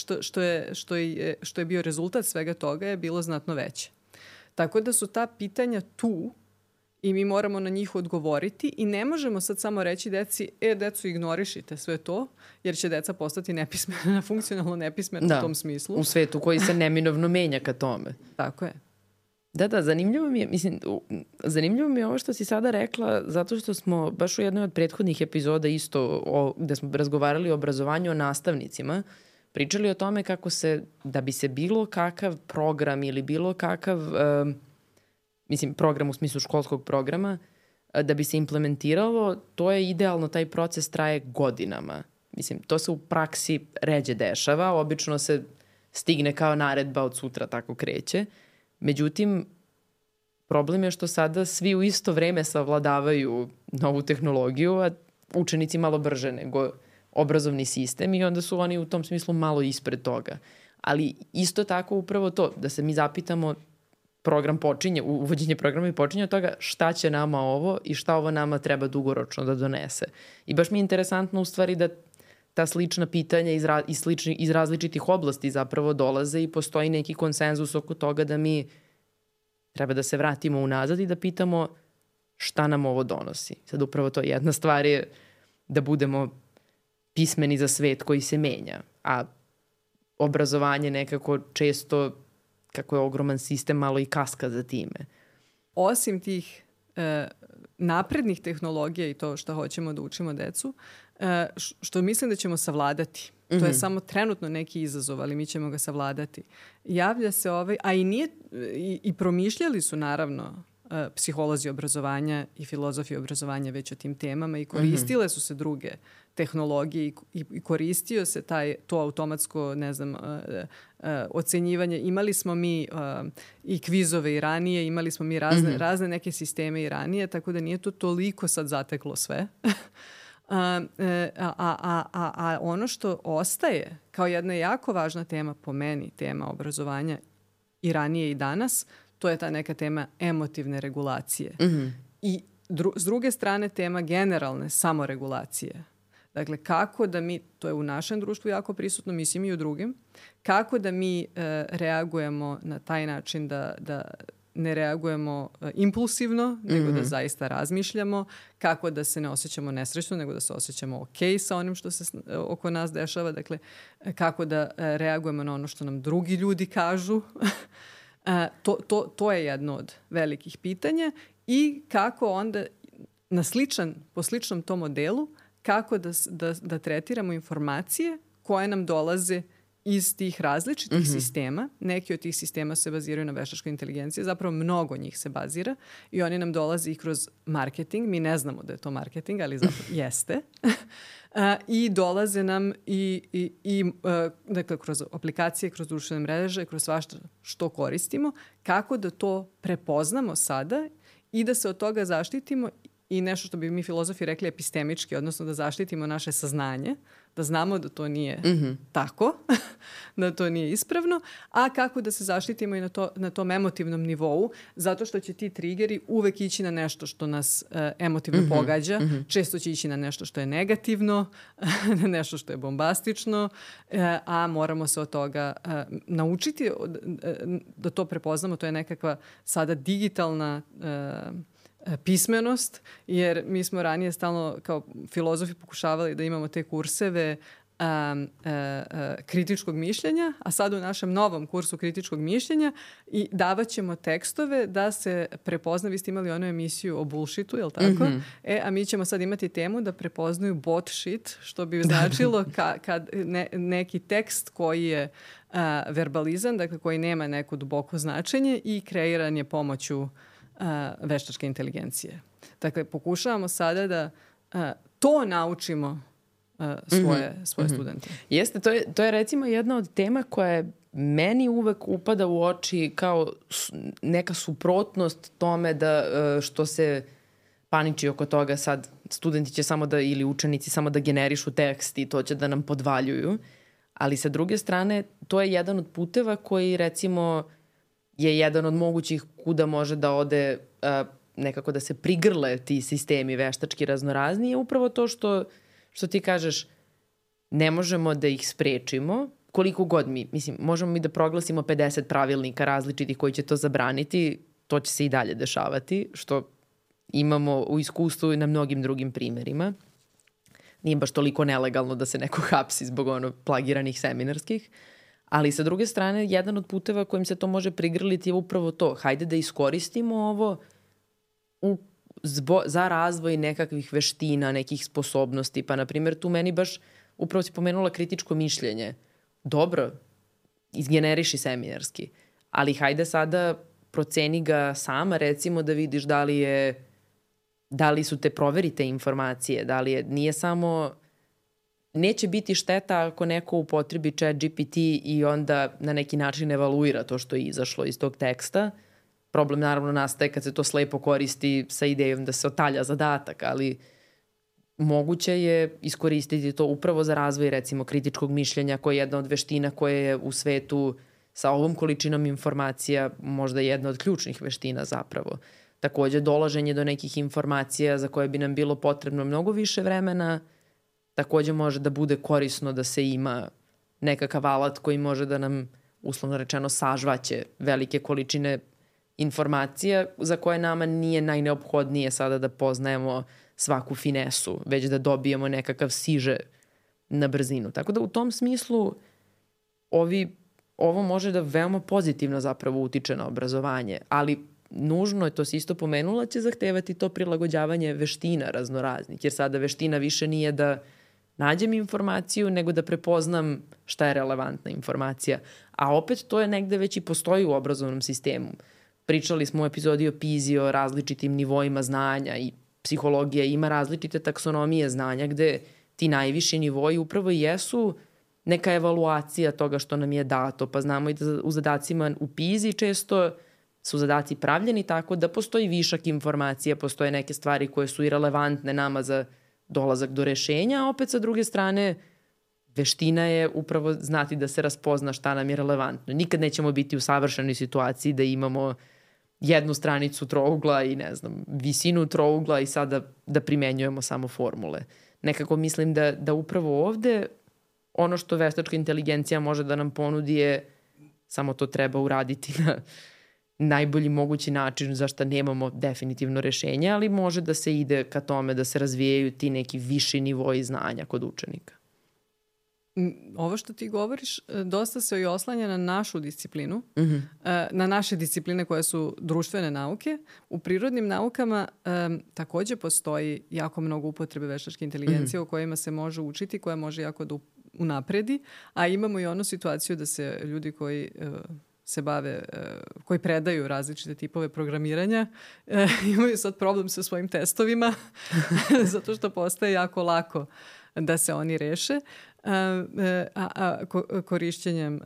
Speaker 2: što je bio rezultat svega toga je bilo znatno veće. Tako da su ta pitanja tu i mi moramo na njih odgovoriti i ne možemo sad samo reći deci, decu ignorišite sve to, jer će deca postati nepismena, funkcionalno nepismena u tom smislu.
Speaker 1: U svetu koji se neminovno menja ka tome.
Speaker 2: Tako je.
Speaker 1: Da, zanimljivo mi je ovo što si sada rekla, zato što smo baš u jednoj od prethodnih epizoda isto gde smo razgovarali o obrazovanju o nastavnicima, pričali o tome kako da bi se bilo kakav program ili bilo kakav, program u smislu školskog programa, da bi se implementiralo, to je idealno, taj proces traje godinama. To se u praksi ređe dešava, obično se stigne kao naredba od sutra, tako kreće. Međutim, problem je što sada svi u isto vreme savladavaju novu tehnologiju, a učenici malo brže nego obrazovni sistem i onda su oni u tom smislu malo ispred toga. Ali isto tako upravo to, da se mi zapitamo, uvođenje programa i počinje od toga šta će nama ovo i šta ovo nama treba dugoročno da donese. I baš mi je interesantno u stvari da ta slična pitanja iz različitih oblasti zapravo dolaze i postoji neki konsenzus oko toga da mi treba da se vratimo unazad i da pitamo šta nam ovo donosi. Sad upravo to jedna stvar je da budemo pismeni za svet koji se menja, a obrazovanje nekako često, kako je ogroman sistem, malo i kaska za time.
Speaker 2: Osim tih naprednih tehnologija i to što hoćemo da učimo decu, što mislim da ćemo savladati. To je samo trenutno neki izazov, ali mi ćemo ga savladati. Javlja se i promišljali su naravno psiholozi obrazovanja i filozofi obrazovanja već o tim temama i koristile su se druge tehnologije i koristio se to automatsko, ocenjivanje. Imali smo mi i kvizove i ranije, imali smo mi razne neke sisteme i ranije, tako da nije to toliko sad zateklo sve. A ono što ostaje kao jedna jako važna tema po meni, tema obrazovanja i ranije i danas, to je ta neka tema emotivne regulacije. I s druge strane tema generalne samoregulacije. Dakle, kako da mi, to je u našem društvu jako prisutno, mislim i u drugim, kako da mi reagujemo na taj način da ne reagujemo impulsivno, nego da zaista razmišljamo, kako da se ne osjećamo nesrećno, nego da se osjećamo ok sa onim što se oko nas dešava, dakle, kako da reagujemo na ono što nam drugi ljudi kažu. To je jedno od velikih pitanja i kako onda po sličnom tom modelu, kako da tretiramo informacije koje nam dolaze iz tih različitih sistema. Neki od tih sistema se baziraju na veštačkoj inteligenciji, zapravo mnogo njih se bazira i oni nam dolaze i kroz marketing. Mi ne znamo da je to marketing, ali zapravo jeste. I dolaze nam dakle, kroz aplikacije, kroz društvene mreže, kroz svašta što koristimo, kako da to prepoznamo sada i da se od toga zaštitimo i nešto što bi mi filozofi rekli epistemički, odnosno da zaštitimo naše saznanje, da znamo da to nije tako, da to nije ispravno, a kako da se zaštitimo i na tom emotivnom nivou, zato što će ti trigeri uvek ići na nešto što nas emotivno pogađa, često će ići na nešto što je negativno, na nešto što je bombastično, a moramo se od toga naučiti da to prepoznamo. To je nekakva sada digitalna pismenost, jer mi smo ranije stalno kao filozofi pokušavali da imamo te kurseve kritičkog mišljenja, a sad u našem novom kursu kritičkog mišljenja i davat ćemo tekstove da se prepozna. Vi ste imali onu emisiju o bullshitu, je li tako? A mi ćemo sad imati temu da prepoznaju bot shit, što bi značilo kad neki tekst koji je verbalizan, dakle koji nema neko duboko značenje i kreiran je pomoću veštačke inteligencije. Dakle, pokušavamo sada da to naučimo svoje studente.
Speaker 1: Jeste, to je recimo jedna od tema koja je meni uvek upada u oči kao neka suprotnost tome da što se paniči oko toga sad studenti će samo da, ili učenici samo da generišu tekst i to će da nam podvaljuju. Ali sa druge strane, to je jedan od puteva koji recimo je jedan od mogućih kuda može da ode nekako da se prigrle ti sistemi veštački raznorazni, je upravo to što ti kažeš, ne možemo da ih sprečimo, koliko god možemo mi da proglasimo 50 pravilnika različitih koji će to zabraniti, to će se i dalje dešavati, što imamo u iskustvu i na mnogim drugim primerima. Nije baš toliko nelegalno da se neko hapsi zbog plagiranih seminarskih, ali sa druge strane, jedan od puteva kojim se to može prigrliti je upravo to. Hajde da iskoristimo ovo za razvoj nekakvih veština, nekih sposobnosti. Pa, na primjer, tu meni baš upravo si pomenula kritičko mišljenje. Dobro, izgeneriši seminarski, ali hajde sada proceni ga sama, recimo da vidiš da li su te proverite informacije, nije samo... Neće biti šteta ako neko upotrebi ChatGPT i onda na neki način evaluira to što je izašlo iz tog teksta. Problem naravno nastaje kad se to slepo koristi sa idejom da se otalja zadatak, ali moguće je iskoristiti to upravo za razvoj recimo kritičkog mišljenja, koja je jedna od veština koja je u svetu sa ovom količinom informacija možda jedna od ključnih veština zapravo. Takođe, dolaženje do nekih informacija za koje bi nam bilo potrebno mnogo više vremena, takođe može da bude korisno da se ima nekakav alat koji može da nam, uslovno rečeno, sažvaće velike količine informacija za koje nama nije najneophodnije sada da poznajemo svaku finesu, već da dobijemo nekakav siže na brzinu. Tako da u tom smislu ovo može da veoma pozitivno zapravo utiče na obrazovanje, ali nužno je, to si isto pomenula, će zahtevati to prilagođavanje veština raznoraznih, jer sada veština više nije da nađem informaciju, nego da prepoznam šta je relevantna informacija. A opet to je negde već i postoji u obrazovnom sistemu. Pričali smo u epizodi o PISA o različitim nivoima znanja i psihologija ima različite taksonomije znanja gde ti najviši nivoji upravo jesu neka evaluacija toga što nam je dato. Pa znamo i da u zadacima u PISA često su zadaci pravljeni tako da postoji višak informacija, postoje neke stvari koje su i relevantne nama za dolazak do rešenja, a opet sa druge strane veština je upravo znati da se raspozna šta nam je relevantno. Nikad nećemo biti u savršenoj situaciji da imamo jednu stranicu trougla i visinu trougla i sada da primenjujemo samo formule. Nekako mislim da upravo ovde ono što veštačka inteligencija može da nam ponudi je samo to treba uraditi na najbolji mogući način za što nemamo definitivno rešenje, ali može da se ide ka tome da se razvijaju ti neki viši nivoji znanja kod učenika.
Speaker 2: Ovo što ti govoriš dosta se i oslanja na našu disciplinu, na naše discipline koje su društvene nauke. U prirodnim naukama takođe postoji jako mnogo upotrebe veštačke inteligencije o kojima se može učiti, koja može jako da unapredi, a imamo i onu situaciju da se ljudi koji se bave, koji predaju različite tipove programiranja, imaju sad problem sa svojim testovima zato što postaje jako lako da se oni reše korišćenjem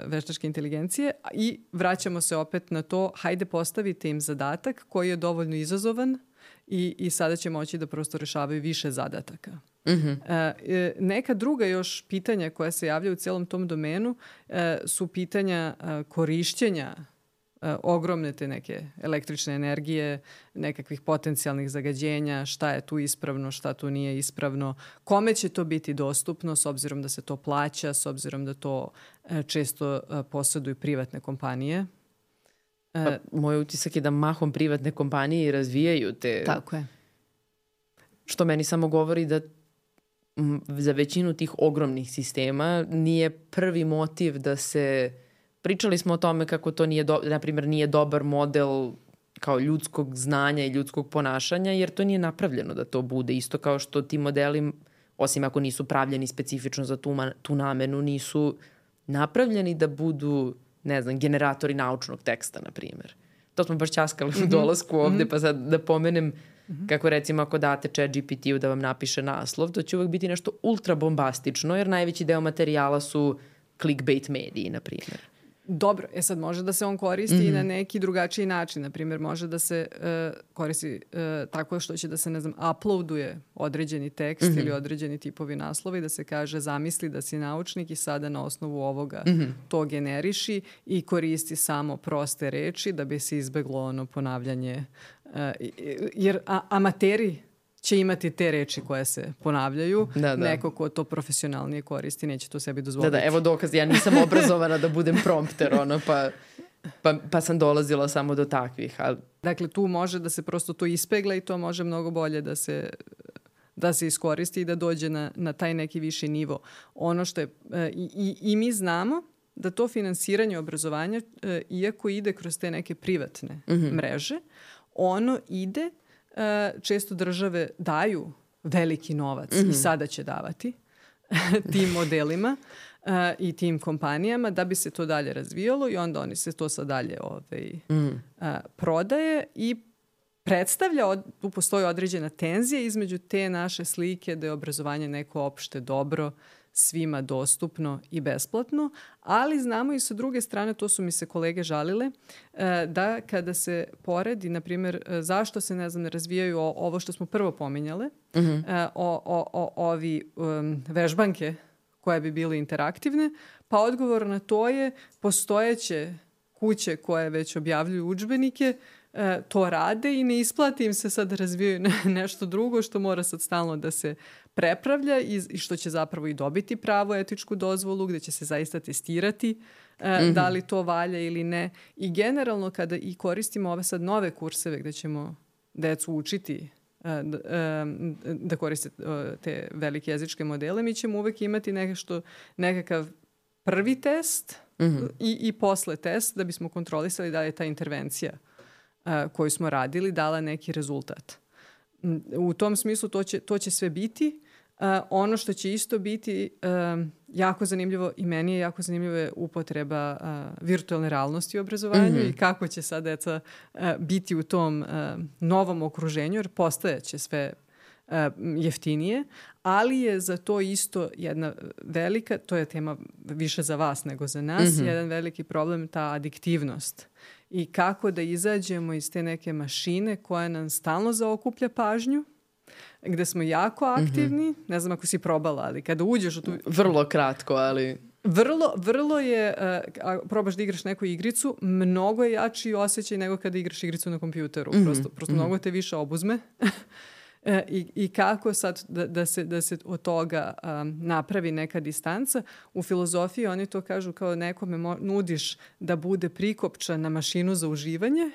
Speaker 2: veštačke inteligencije i vraćamo se opet na to, hajde postavite im zadatak koji je dovoljno izazovan i sada će moći da prosto rešavaju više zadataka. Neka druga još pitanja koja se javljaju u celom tom domenu su pitanja korišćenja ogromne te neke električne energije, nekakvih potencijalnih zagađenja, šta je tu ispravno, šta tu nije ispravno, kome će to biti dostupno s obzirom da se to plaća, s obzirom da to često posjeduju privatne kompanije.
Speaker 1: Moj utisak je da mahom privatne kompanije razvijaju te...
Speaker 2: Tako je.
Speaker 1: Što meni samo govori da za većinu tih ogromnih sistema nije prvi motiv da se... Pričali smo o tome kako to nije, na primjer, nije dobar model kao ljudskog znanja i ljudskog ponašanja, jer to nije napravljeno da to bude. Isto kao što ti modeli, osim ako nisu pravljeni specifično za tu namenu, nisu napravljeni da budu, ne znam, generatori naučnog teksta, na primjer. To smo baš ćaskali u dolasku ovde, pa sad da pomenem kako recimo ako date ChatGPT-u da vam napiše naslov, to će uvek biti nešto ultra bombastično, jer najveći deo materijala su clickbait mediji, na primjer.
Speaker 2: Dobro, sad može da se on koristi i na neki drugačiji način. Naprimjer, može da se koristi tako što će da se, ne znam, uploaduje određeni tekst ili određeni tipovi naslova i da se kaže zamisli da si naučnik i sada na osnovu ovoga to generiši i koristi samo proste reči da bi se izbeglo ono ponavljanje. Jer amateri će imati te reči koje se ponavljaju. Da. Neko ko to profesionalnije koristi neće to sebi dozvoliti.
Speaker 1: Da, evo dokaz. Ja nisam obrazovana da budem prompter, pa sam dolazila samo do takvih. Ali...
Speaker 2: Dakle, tu može da se prosto to ispegla i to može mnogo bolje da se iskoristi i da dođe na taj neki viši nivo. Ono što je... I mi znamo da to finansiranje obrazovanja, iako ide kroz te neke privatne mreže, ono ide... Često države daju veliki novac i sada će davati tim modelima i tim kompanijama da bi se to dalje razvijalo i onda oni se to sad dalje prodaje i predstavlja, tu postoji određena tenzija između te naše slike da je obrazovanje neko opšte dobro, svima dostupno i besplatno, ali znamo i sa druge strane, to su mi se kolege žalile, da kada se poredi, na primjer, zašto se, ne znam, ne razvijaju ovo što smo prvo pominjale, ovi vežbanke koje bi bile interaktivne, pa odgovor na to je postojeće kuće koje već objavljuju udžbenike, to rade i ne isplati im se sad da razvijaju nešto drugo što mora sad stalno da se prepravlja i što će zapravo i dobiti pravo etičku dozvolu gde će se zaista testirati da li to valja ili ne. I generalno kada i koristimo ove sad nove kurseve gde ćemo decu učiti da koriste te velike jezičke modele, mi ćemo uvek imati nekakav prvi test i posle test da bismo kontrolisali da li je ta intervencija koju smo radili dala neki rezultat. U tom smislu to će sve biti. Ono što će isto biti jako zanimljivo i meni je jako zanimljivo je upotreba virtualne realnosti u obrazovanju i kako će sad deca biti u tom novom okruženju, jer postajeće sve jeftinije, ali je za to isto jedna velika, to je tema više za vas nego za nas, jedan veliki problem, ta adiktivnost. I kako da izađemo iz te neke mašine koja nam stalno zaokuplja pažnju, gde smo jako aktivni, ne znam ako si probala, ali kada uđeš u tu...
Speaker 1: Vrlo kratko, ali...
Speaker 2: Vrlo je, probaš da igraš neku igricu, mnogo je jači osjećaj nego kada igraš igricu na kompjuteru. Prosto mnogo te više obuzme. I kako sad da se od toga napravi neka distanca. U filozofiji oni to kažu kao nekome nudiš da bude prikopčan na mašinu za uživanje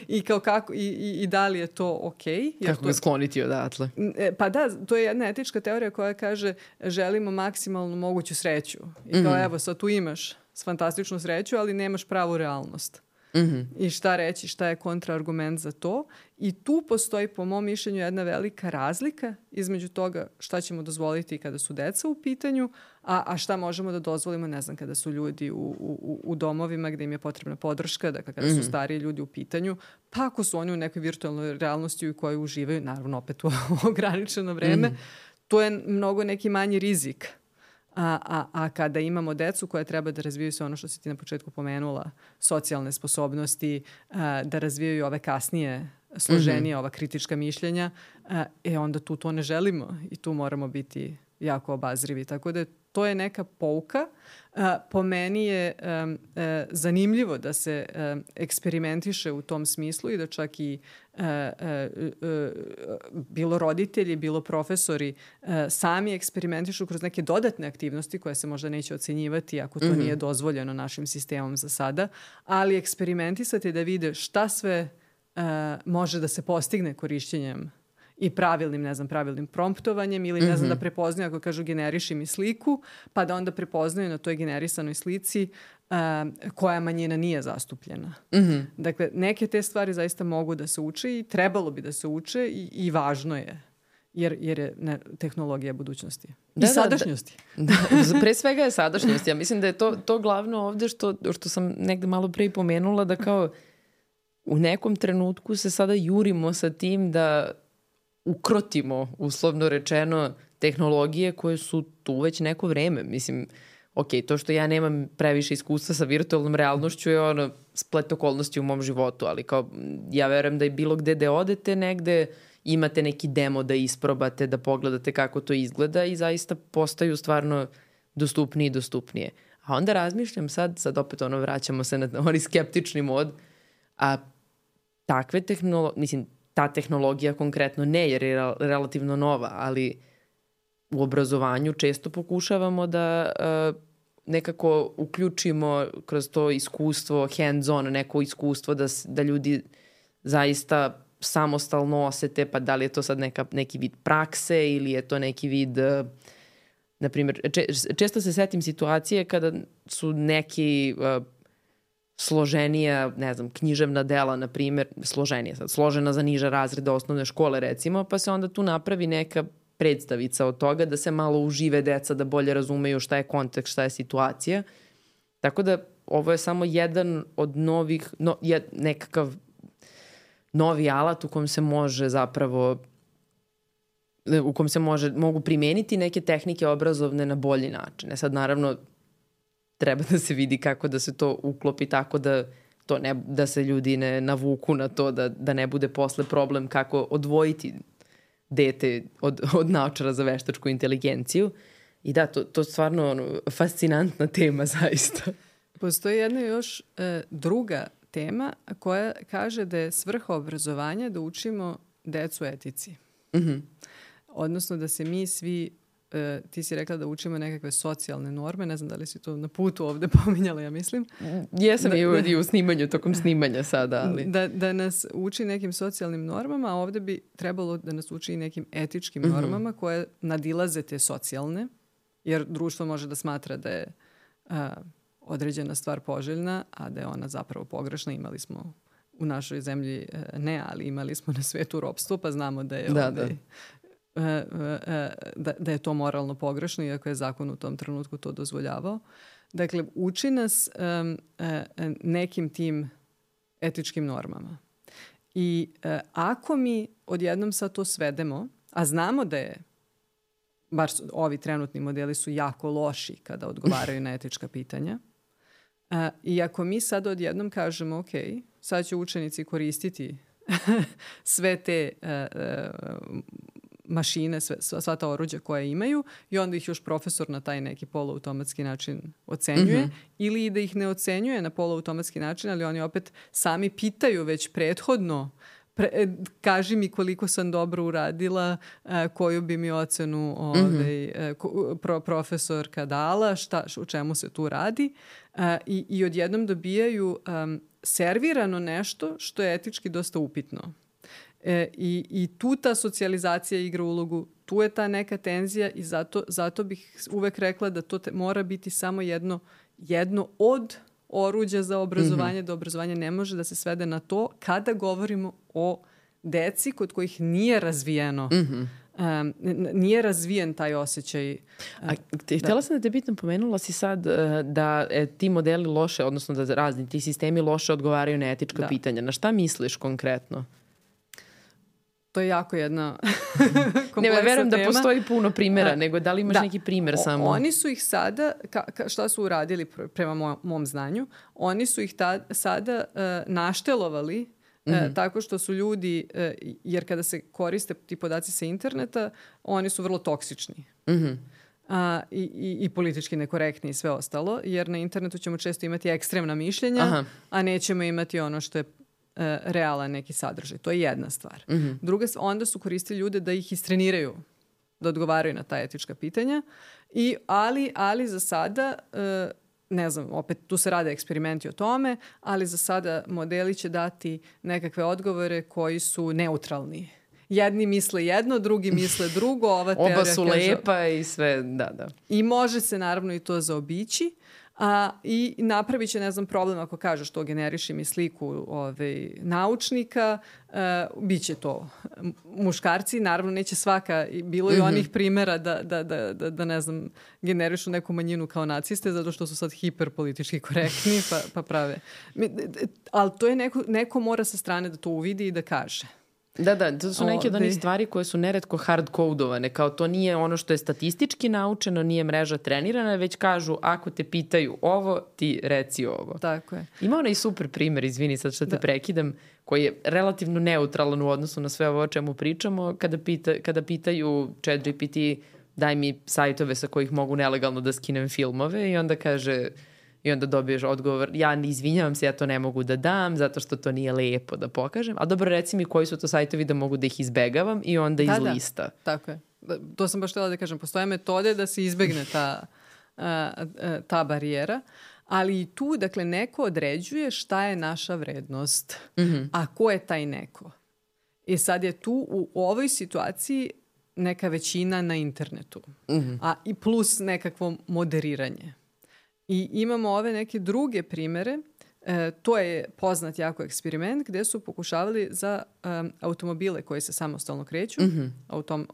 Speaker 2: i da li je to okej.
Speaker 1: Kako ga skloniti odatle?
Speaker 2: Pa da, to je jedna etička teorija koja kaže želimo maksimalnu moguću sreću. I kao evo sad tu imaš fantastičnu sreću, ali nemaš pravu realnost. I šta reći, šta je kontraargument za to. I tu postoji, po mom mišljenju, jedna velika razlika između toga šta ćemo dozvoliti kada su deca u pitanju, a šta možemo da dozvolimo, ne znam, kada su ljudi u domovima gde im je potrebna podrška, dakle kada su stariji ljudi u pitanju, pa ako su oni u nekoj virtualnoj realnosti u kojoj uživaju, naravno opet u ograničeno vreme, to je mnogo neki manji rizik. A kada imamo decu koja treba da razvijaju sve ono što si ti na početku pomenula, socijalne sposobnosti, da razvijaju ove kasnije složenija ova kritička mišljenja, onda tu to ne želimo i tu moramo biti jako obazrivi. Tako da to je neka pouka. Po meni je zanimljivo da se eksperimentiše u tom smislu i da čak i bilo roditelji, bilo profesori sami eksperimentišu kroz neke dodatne aktivnosti koje se možda neće ocenjivati ako to nije dozvoljeno našim sistemom za sada, ali eksperimentisati da vide šta sve može da se postigne korišćenjem i pravilnim promptovanjem ili ne znam da prepoznaju ako kažu generiši mi sliku, pa da onda prepoznaju na toj generisanoj slici koja manjina nije zastupljena. Dakle, neke te stvari zaista mogu da se uče i trebalo bi da se uče i važno je. Jer je tehnologija budućnosti. I sadašnjosti.
Speaker 1: Pre svega je sadašnjost. Ja mislim da je to glavno ovde što sam negde malo pre pomenula, da kao u nekom trenutku se sada jurimo sa tim da ukrotimo, uslovno rečeno, tehnologije koje su tu već neko vreme. Mislim, to što ja nemam previše iskustva sa virtualnom realnošću je splet okolnosti u mom životu, ali kao ja verujem da i bilo gde odete negde, imate neki demo da isprobate, da pogledate kako to izgleda i zaista postaju stvarno dostupnije i dostupnije. A onda razmišljam sad opet vraćamo se na onaj skeptični mod, a takve tehnologije, ta tehnologija konkretno ne, jer je relativno nova, ali u obrazovanju često pokušavamo da nekako uključimo kroz to iskustvo, hands-on, neko iskustvo da ljudi zaista samostalno osete, pa da li je to sad neki vid prakse ili je to neki vid, na primjer, često se setim situacije kada su neki složenija, ne znam, književna dela, na primjer, složena za niže razrede osnovne škole, recimo, pa se onda tu napravi neka predstavica od toga da se malo užive deca, da bolje razumeju šta je kontekst, šta je situacija. Tako da ovo je samo jedan od novih, nekakav novi alat u kom se može zapravo, u kom se mogu primeniti neke tehnike obrazovne na bolji način. Sad, naravno, treba da se vidi kako da se to uklopi tako da se ljudi ne navuku na to, da ne bude posle problem kako odvojiti dete od naučara za veštačku inteligenciju. I da, to je stvarno fascinantna tema zaista.
Speaker 2: Postoji jedna još druga tema koja kaže da je svrha obrazovanja da učimo decu etici. Odnosno da se mi svi, ti si rekla da učimo nekakve socijalne norme, ne znam da li si to na putu ovde pominjala, ja mislim.
Speaker 1: Jesam i u snimanju, tokom snimanja sada. Ali.
Speaker 2: Da nas uči nekim socijalnim normama, a ovde bi trebalo da nas uči i nekim etičkim normama koje nadilaze te socijalne, jer društvo može da smatra da je određena stvar poželjna, a da je ona zapravo pogrešna. Imali smo u našoj zemlji, ali imali smo na svetu ropstvo, pa znamo da je da je to moralno pogrešno, iako je zakon u tom trenutku to dozvoljavao. Dakle, uči nas nekim tim etičkim normama. I ako mi odjednom sad to svedemo, a znamo da je, bar ovi trenutni modeli su jako loši kada odgovaraju na etička pitanja, i ako mi sad odjednom kažemo, ok, sad će učenici koristiti sve te mašine, sva ta oruđa koje imaju i onda ih još profesor na taj neki poluautomatski način ocenjuje ili da ih ne ocenjuje na poluautomatski način, ali oni opet sami pitaju već prethodno kaži mi koliko sam dobro uradila, koju bi mi ocenu profesorka dala, u čemu se tu radi i odjednom dobijaju servirano nešto što je etički dosta upitno. I tu ta socijalizacija igra ulogu, tu je ta neka tenzija i zato bih uvek rekla da to mora biti samo jedno od oruđa za obrazovanje, da obrazovanje ne može da se svede na to kada govorimo o deci kod kojih nije razvijeno, nije razvijen taj osjećaj.
Speaker 1: Htjela sam da te bitno pomenula si sad da ti modeli loše, odnosno da razni ti sistemi loše odgovaraju na etička pitanja. Na šta misliš konkretno?
Speaker 2: To je jako jedna kompleksna tema.
Speaker 1: Ne, verujem da postoji puno primjera, nego da li imaš neki primjer samo?
Speaker 2: Oni su ih sada, šta su uradili prema mom znanju, oni su ih sada naštelovali tako što su ljudi, jer kada se koriste ti podaci sa interneta, oni su vrlo toksični. I politički nekorektni i sve ostalo, jer na internetu ćemo često imati ekstremna mišljenja, a nećemo imati ono što je realan neki sadržaj. To je jedna stvar. Druga, onda su koristili ljude da ih istreniraju, da odgovaraju na ta etička pitanja, ali za sada, ne znam, opet tu se rade eksperimenti o tome, ali za sada modeli će dati nekakve odgovore koji su neutralni. Jedni misle jedno, drugi misle drugo. Ova teorija
Speaker 1: oba su lepa i sve, da.
Speaker 2: I može se naravno i to zaobići. I napravit će, ne znam, problem ako kažeš to, generiši mi sliku naučnika, bit će to muškarci, naravno neće svaka, bilo je onih primjera da ne znam, generišu neku manjinu kao naciste, zato što su sad hiperpolitički korektni, pa prave. Ali to je neko mora sa strane da to uvidi i da kaže.
Speaker 1: Da, to su neke od onih stvari koje su neretko hard-kodovane, kao to nije ono što je statistički naučeno, nije mreža trenirana, već kažu ako te pitaju ovo, ti reci ovo.
Speaker 2: Tako je.
Speaker 1: Ima onaj super primjer, izvini sad što te prekidam, koji je relativno neutralan u odnosu na sve ovo o čemu pričamo, kada pitaju ChatGPT daj mi sajtove sa kojih mogu nelegalno da skinem filmove i onda kaže... I onda dobiješ odgovor, ja izvinjavam se, ja to ne mogu da dam, zato što to nije lepo da pokažem. A dobro, reci mi koji su to sajtovi da mogu da ih izbegavam i onda iz lista.
Speaker 2: Tako je. To sam baš htjela da kažem. Postoje metode da se izbegne ta barijera, ali i tu, dakle, neko određuje šta je naša vrednost. A ko je taj neko? I sad je tu u ovoj situaciji neka većina na internetu. A i plus nekakvo moderiranje. I imamo ove neke druge primjere. To je poznat jako eksperiment gdje su pokušavali za automobile koji se samostalno kreću,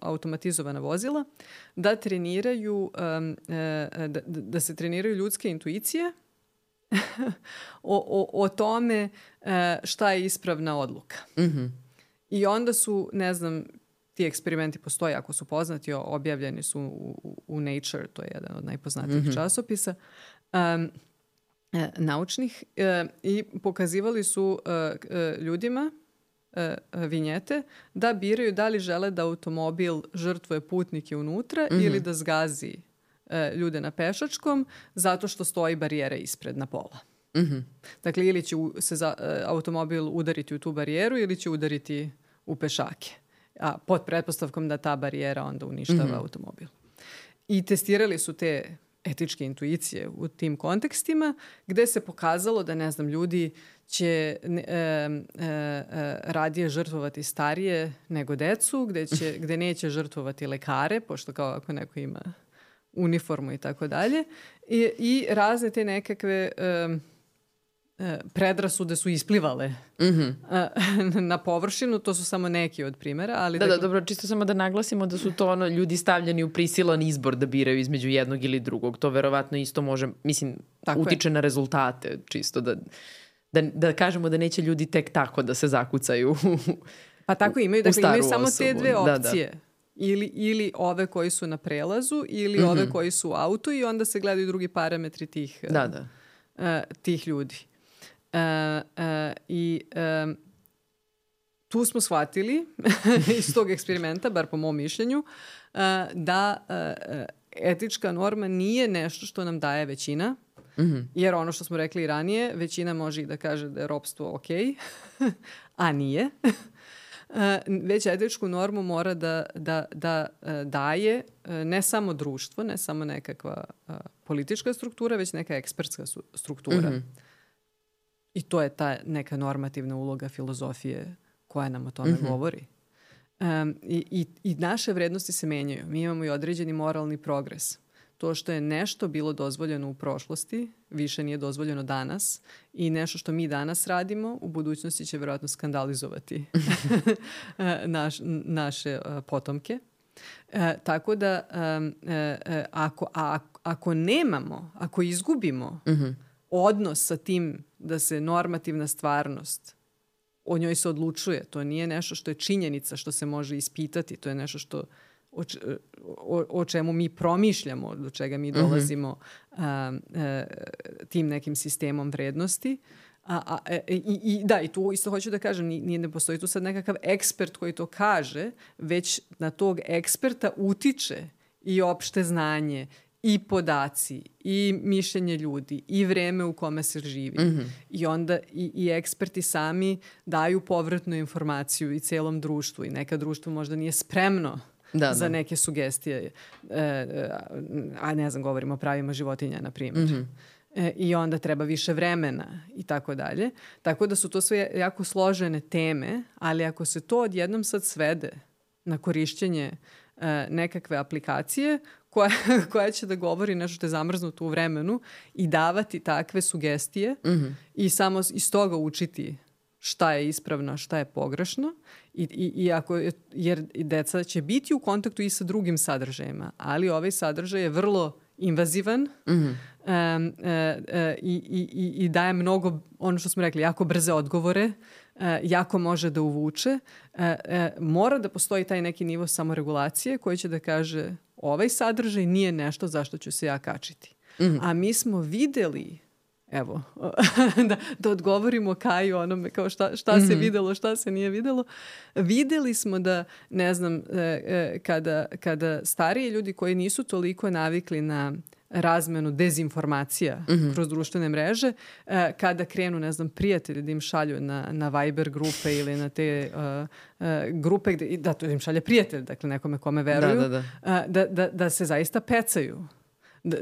Speaker 2: automatizovana vozila, da treniraju, da se treniraju ljudske intuicije o tome šta je ispravna odluka. I onda su, ne znam, ti eksperimenti postoje, ako su poznati, objavljeni su u Nature, to je jedan od najpoznatijih časopisa, naučnih, i pokazivali su ljudima vinjete da biraju da li žele da automobil žrtvuje putnike unutra ili da zgazi ljude na pešačkom zato što stoji barijera ispred na pola. Dakle, ili će se automobil udariti u tu barijeru ili će udariti u pešake. A pod pretpostavkom da ta barijera onda uništava automobil. I testirali su te etičke intuicije u tim kontekstima, gde se pokazalo da, ne znam, ljudi će radije žrtvovati starije nego decu, gde neće žrtvovati lekare, pošto kao ako neko ima uniformu i tako dalje. I razne te nekakve predrasude su isplivale na površinu, to su samo neki od primjera. Ali
Speaker 1: da, dobro, čisto samo da naglasimo da su to ljudi stavljeni u prisilan izbor da biraju između jednog ili drugog. To verovatno isto može, mislim, utiče na rezultate, čisto da kažemo da neće ljudi tek tako da se zakucaju
Speaker 2: pa tako imaju, dakle, imaju samo te dve opcije. Da. Ili ove koji su na prelazu, ili ove koji su u autu i onda se gledaju drugi parametri tih ljudi. Tu smo shvatili iz tog eksperimenta, bar po mom mišljenju, da etička norma nije nešto što nam daje većina, jer ono što smo rekli i ranije, većina može i da kaže da je ropstvo ok, a nije. Već etičku normu mora da daje ne samo društvo, ne samo nekakva politička struktura, već neka ekspertska struktura. I to je ta neka normativna uloga filozofije koja nam o tome govori. I naše vrednosti se menjaju. Mi imamo i određeni moralni progres. To što je nešto bilo dozvoljeno u prošlosti, više nije dozvoljeno danas, i nešto što mi danas radimo u budućnosti će vjerojatno skandalizovati naše potomke. Tako da ako izgubimo odnos sa tim da se normativna stvarnost, o njoj se odlučuje, to nije nešto što je činjenica, što se može ispitati, to je nešto što o čemu mi promišljamo, do čega mi dolazimo tim nekim sistemom vrednosti. I tu isto hoću da kažem, ne postoji tu sad nekakav ekspert koji to kaže, već na tog eksperta utiče i opšte znanje, i podaci, i mišljenje ljudi, i vreme u kome se živi. I onda i eksperti sami daju povratnu informaciju i celom društvu. I neka društvo možda nije spremno za neke sugestije. Ne znam, govorimo o pravima životinja, na primjer. I onda treba više vremena i tako dalje. Tako da su to sve jako složene teme, ali ako se to odjednom sad svede na korišćenje nekakve aplikacije koja će da govori nešto što je zamrznuto u vremenu i davati takve sugestije i samo iz toga učiti šta je ispravno, šta je pogrešno, jer deca će biti u kontaktu i sa drugim sadržajima, ali ovaj sadržaj je vrlo invazivan i daje mnogo, ono što smo rekli, jako brze odgovore, jako može da uvuče. Mora da postoji taj neki nivo samoregulacije koji će da kaže ovaj sadržaj nije nešto zašto ću se ja kačiti. A mi smo videli, evo, da odgovorimo Kaju onome kao šta se videlo, šta se nije videlo. Videli smo da, ne znam, kada stariji ljudi koji nisu toliko navikli na razmenu dezinformacija kroz društvene mreže, kada krenu, ne znam, prijatelji da im šalju na Viber grupe ili na te grupe, to im šalje prijatelj, dakle nekome kome veruju, da se zaista pecaju.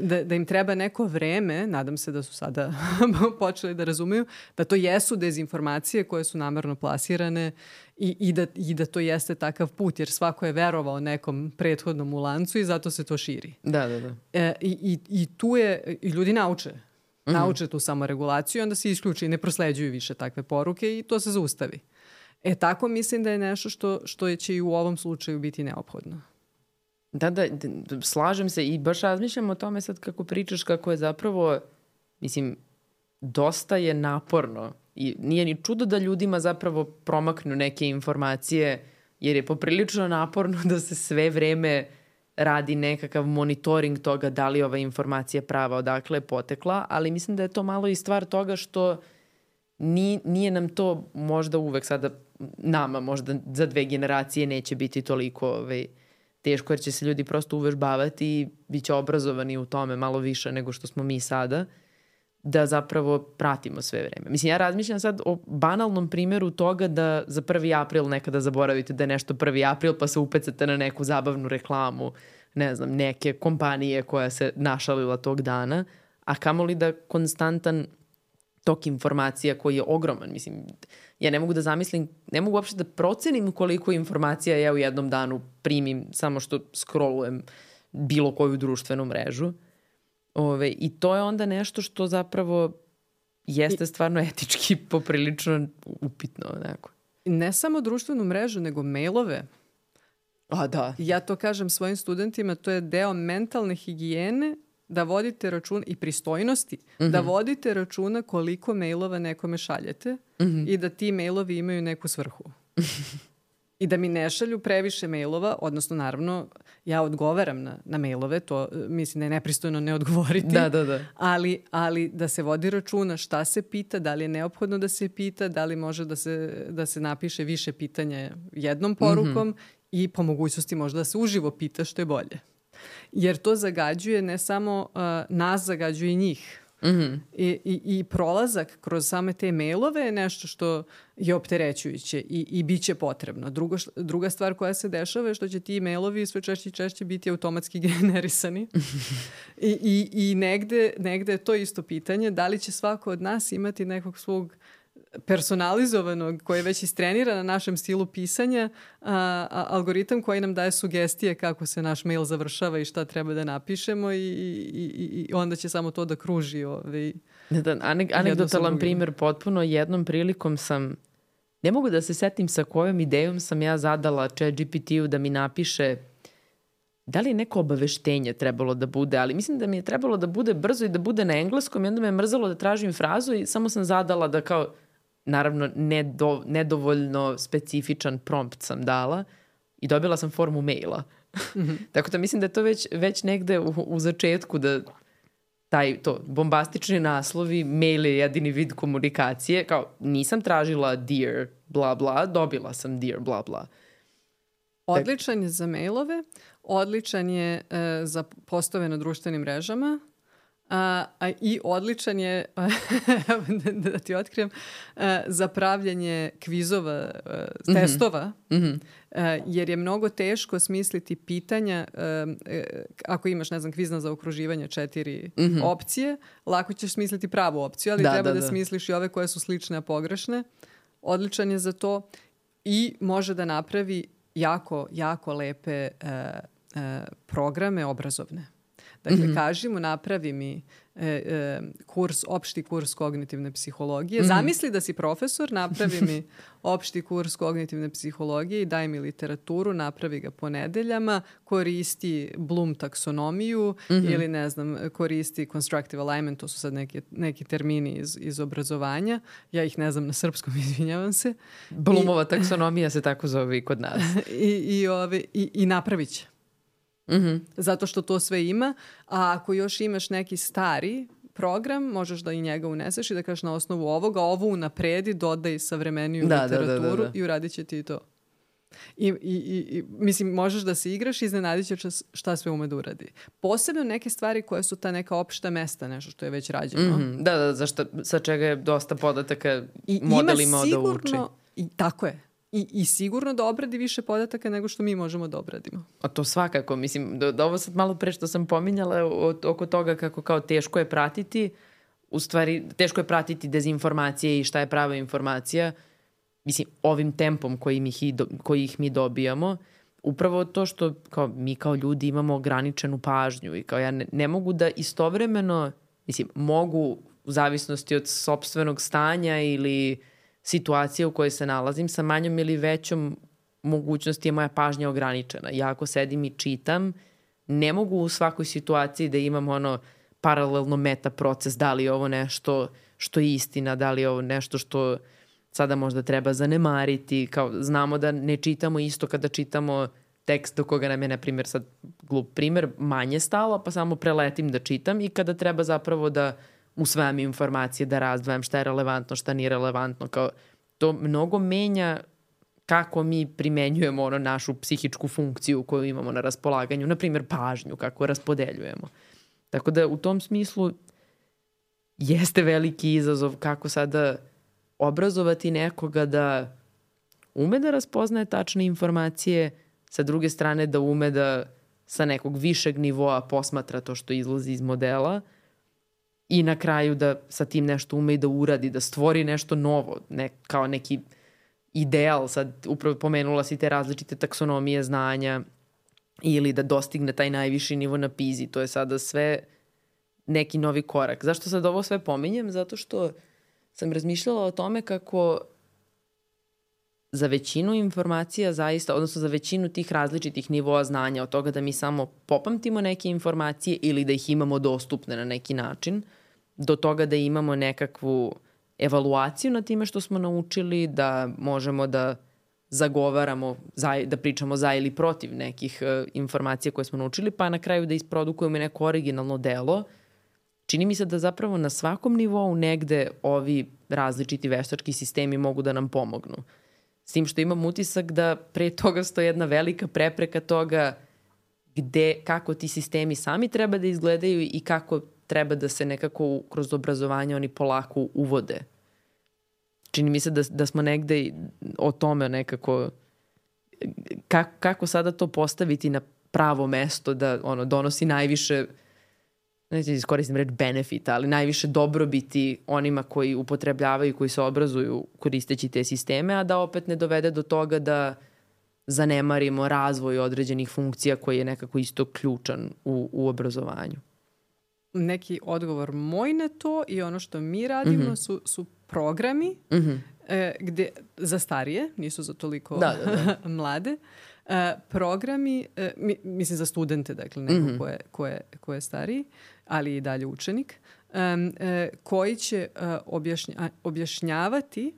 Speaker 2: Da im treba neko vreme, nadam se da su sada počeli da razumeju, da to jesu dezinformacije koje su namerno plasirane i da to jeste takav put, jer svako je verovao nekom prethodnom u lancu i zato se to širi. I tu je, i ljudi nauče tu samoregulaciju i onda se isključi i ne prosleđuju više takve poruke i to se zaustavi. Tako mislim da je nešto što će i u ovom slučaju biti neophodno.
Speaker 1: Da, slažem se i baš razmišljam o tome sad kako pričaš, kako je zapravo, mislim, dosta je naporno i nije ni čudo da ljudima zapravo promaknu neke informacije, jer je poprilično naporno da se sve vreme radi nekakav monitoring toga da li ova informacija prava, odakle je potekla, ali mislim da je to malo i stvar toga što nije nam to možda uvek sada, nama možda za 2 generacije neće biti toliko teško, jer će se ljudi prosto uvežbavati i bit će obrazovani u tome malo više nego što smo mi sada, da zapravo pratimo sve vreme. Mislim, ja razmišljam sad o banalnom primjeru toga da za 1. april nekada zaboravite da je nešto 1. april pa se upecate na neku zabavnu reklamu, ne znam, neke kompanije koja se našalila tog dana, a kamoli da konstantan tok informacija koji je ogroman. Mislim, ja ne mogu da zamislim, ne mogu uopšte da procenim koliko informacija ja u jednom danu primim samo što scrollujem bilo koju društvenu mrežu. I to je onda nešto što zapravo jeste stvarno etički poprilično upitno. Neko.
Speaker 2: Ne samo društvenu mrežu, nego mailove.
Speaker 1: Da.
Speaker 2: Ja to kažem svojim studentima, to je deo mentalne higijene, da vodite račun i pristojnosti, da vodite računa koliko mailova nekome šaljete i da ti mailovi imaju neku svrhu. I da mi ne šalju previše mailova, odnosno naravno ja odgovaram na mailove, to mislim da je nepristojno ne odgovoriti.
Speaker 1: Da.
Speaker 2: Ali da se vodi računa šta se pita, da li je neophodno da se pita, da li može da se napiše više pitanja jednom porukom i po mogućnosti možda da se uživo pita, što je bolje. Jer to zagađuje ne samo nas, zagađuje i njih. I prolazak kroz same te mailove je nešto što je opterećujuće i bit će potrebno. Druga stvar koja se dešava je što će ti mailovi sve češće i češće biti automatski generisani. I negde je to isto pitanje, da li će svako od nas imati nekog svog personalizovanog, koji je već istrenira na našem stilu pisanja, algoritam koji nam daje sugestije kako se naš mail završava i šta treba da napišemo i onda će samo to da kruži.
Speaker 1: Anegdotalan primjer potpuno. Jednom prilikom sam, ne mogu da se setim sa kojom idejom sam ja zadala ChatGPT-u da mi napiše da li je neko obaveštenje trebalo da bude, ali mislim da mi je trebalo da bude brzo i da bude na engleskom i onda me je mrzalo da tražim frazu i samo sam zadala da kao, naravno nedovoljno specifičan prompt sam dala i dobila sam formu maila. Tako da mislim da je to već negde u začetku da bombastični naslovi, mail je jedini vid komunikacije, kao nisam tražila dear bla bla, dobila sam dear bla bla.
Speaker 2: Odličan je za mailove, odličan je za postove na društvenim mrežama, i odličan je, da ti otkrijem, za pravljanje kvizova, testova, jer je mnogo teško smisliti pitanja. Ako imaš, ne znam, kviz na zaokruživanje 4 opcije, lako ćeš smisliti pravu opciju, ali treba da smisliš i ove koje su slične, a pogrešne. Odličan je za to i može da napravi jako, jako lepe programe obrazovne. Dakle, kaži mu, napravi mi opšti kurs kognitivne psihologije. Zamisli da si profesor, napravi mi opšti kurs kognitivne psihologije i daj mi literaturu, napravi ga po nedeljama, koristi Bloom taksonomiju ili, ne znam, koristi constructive alignment, to su sad neki termini iz obrazovanja. Ja ih ne znam na srpskom, izvinjavam se.
Speaker 1: Bloomova taksonomija se tako zove i kod nas.
Speaker 2: I napravit će. Zato što to sve ima, a ako još imaš neki stari program, možeš da i njega uneseš i da kažeš na osnovu ovoga, ovo unapredi, dodaj savremeniju literaturu i uradit će ti to. I mislim, možeš da se igraš i iznenadit će šta sve ume da uradi. Posebno neke stvari koje su ta neka opšta mesta, nešto što je već rađeno.
Speaker 1: Sa čega je dosta podataka model imao da uči.
Speaker 2: Tako je. I sigurno da obradi više podataka nego što mi možemo da obradimo.
Speaker 1: A to svakako, mislim, da ovo sad malo pre što sam pominjala oko toga kako kao teško je pratiti, u stvari teško je pratiti dezinformacije i šta je prava informacija, mislim, ovim tempom koji ih mi dobijamo, upravo to što mi kao ljudi imamo ograničenu pažnju i kao ja ne mogu da istovremeno, mislim, mogu u zavisnosti od sopstvenog stanja ili situacija u kojoj se nalazim, sa manjom ili većom mogućnosti je moja pažnja ograničena. Ja ako sedim i čitam, ne mogu u svakoj situaciji da imam paralelno meta proces, da li je ovo nešto što je istina, da li je ovo nešto što sada možda treba zanemariti. Kao, znamo da ne čitamo isto kada čitamo tekst do koga nam je, na primjer, sad glup primjer, manje stalo, pa samo preletim da čitam i kada treba zapravo da usvajam informacije, da razdvajam šta je relevantno, šta nije relevantno. Kao, to mnogo menja kako mi primenjujemo našu psihičku funkciju koju imamo na raspolaganju, na primjer pažnju, kako raspodeljujemo. Tako da u tom smislu jeste veliki izazov kako sada obrazovati nekoga da ume da raspoznaje tačne informacije, sa druge strane da ume da sa nekog višeg nivoa posmatra to što izlazi iz modela i na kraju da sa tim nešto ume i da uradi, da stvori nešto novo, kao neki ideal. Sad upravo pomenula si te različite taksonomije znanja ili da dostigne taj najviši nivo na PISA. To je sada sve neki novi korak. Zašto sad ovo sve pominjem? Zato što sam razmišljala o tome kako za većinu informacija zaista, odnosno za većinu tih različitih nivoa znanja, od toga da mi samo popamtimo neke informacije ili da ih imamo dostupne na neki način, do toga da imamo nekakvu evaluaciju na time što smo naučili, da možemo da zagovaramo, da pričamo za ili protiv nekih informacija koje smo naučili, pa na kraju da isprodukujemo neko originalno delo. Čini mi se da zapravo na svakom nivou negde ovi različiti veštački sistemi mogu da nam pomognu. S tim što imam utisak da pre toga stoji jedna velika prepreka toga kako ti sistemi sami treba da izgledaju i kako treba da se nekako kroz obrazovanje oni polako uvode. Čini mi se da smo negde o tome nekako kako sada to postaviti na pravo mesto da donosi najviše, neću iskoristim reč benefita, ali najviše dobrobiti onima koji upotrebljavaju i koji se obrazuju koristeći te sisteme, a da opet ne dovede do toga da zanemarimo razvoj određenih funkcija koji je nekako isto ključan u obrazovanju.
Speaker 2: Neki odgovor moj na to i ono što mi radimo su programi gde, za starije, nisu za toliko mlade, programi, mislim za studente, dakle neko ko je stariji, ali i dalje učenik, koji će objašnjavati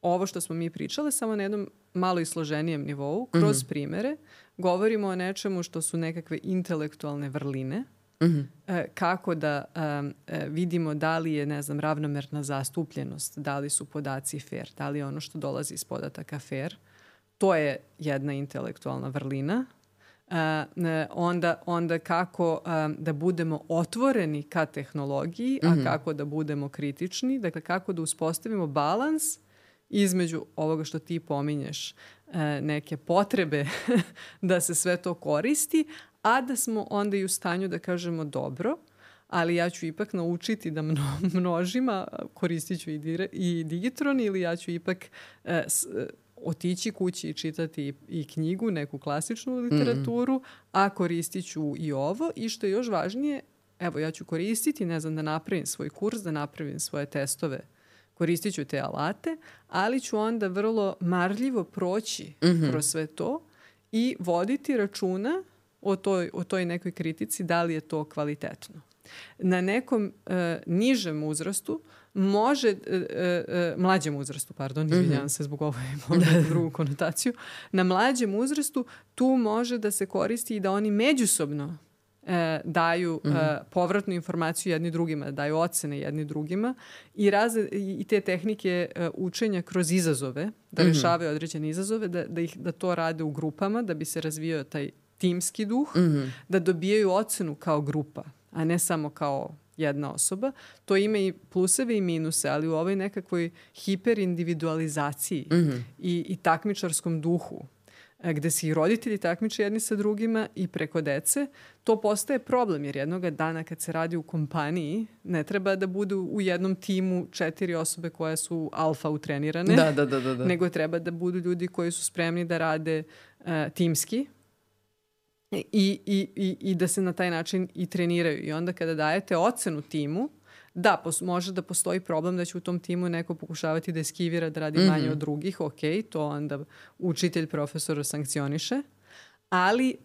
Speaker 2: ovo što smo mi pričale samo na jednom malo i složenijem nivou, kroz primere. Govorimo o nečemu što su nekakve intelektualne vrline, kako da vidimo da li je, ne znam, ravnomerna zastupljenost, da li su podaci fair, da li je ono što dolazi iz podataka fair. To je jedna intelektualna vrlina. Onda kako da budemo otvoreni ka tehnologiji, a kako da budemo kritični. Dakle, kako da uspostavimo balans između ovoga što ti pominješ, neke potrebe da se sve to koristi, a da smo onda i u stanju da kažemo dobro, ali ja ću ipak naučiti da množima, koristit ću i digitron, ili ja ću ipak otići kući i čitati i knjigu, neku klasičnu literaturu, a koristit ću i ovo. I što je još važnije, evo, ja ću koristiti, ne znam, da napravim svoj kurs, da napravim svoje testove, koristit ću te alate, ali ću onda vrlo marljivo proći kroz sve to i voditi računa o toj nekoj kritici, da li je to kvalitetno. Na nekom nižem uzrastu može, mlađem uzrastu, izvinjavam se zbog ovo drugu konotaciju, na mlađem uzrastu tu može da se koristi i da oni međusobno daju povratnu informaciju jedni drugima, daju ocene jedni drugima i te tehnike učenja kroz izazove, da rešavaju određene izazove, da to rade u grupama, da bi se razvijao taj timski duh, da dobijaju ocenu kao grupa, a ne samo kao jedna osoba. To ima i pluseve i minuse, ali u ovoj nekakvoj hiperindividualizaciji i takmičarskom duhu, gde se i roditelji takmiče jedni sa drugima i preko dece, to postaje problem, jer jednoga dana kad se radi u kompaniji, ne treba da budu u jednom timu 4 osobe koje su alfa utrenirane, nego treba da budu ljudi koji su spremni da rade timski, i da se na taj način i treniraju. I onda kada dajete ocenu timu, da, može da postoji problem da će u tom timu neko pokušavati da eskivira, da radi manje od drugih, ok, to onda učitelj, profesor sankcioniše, ali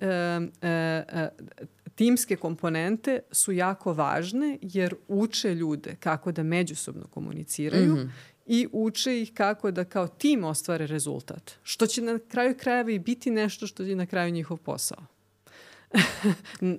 Speaker 2: timske komponente su jako važne jer uče ljude kako da međusobno komuniciraju i uče ih kako da kao tim ostvare rezultat. Što će na kraju krajeva i biti nešto što je na kraju njihov posao.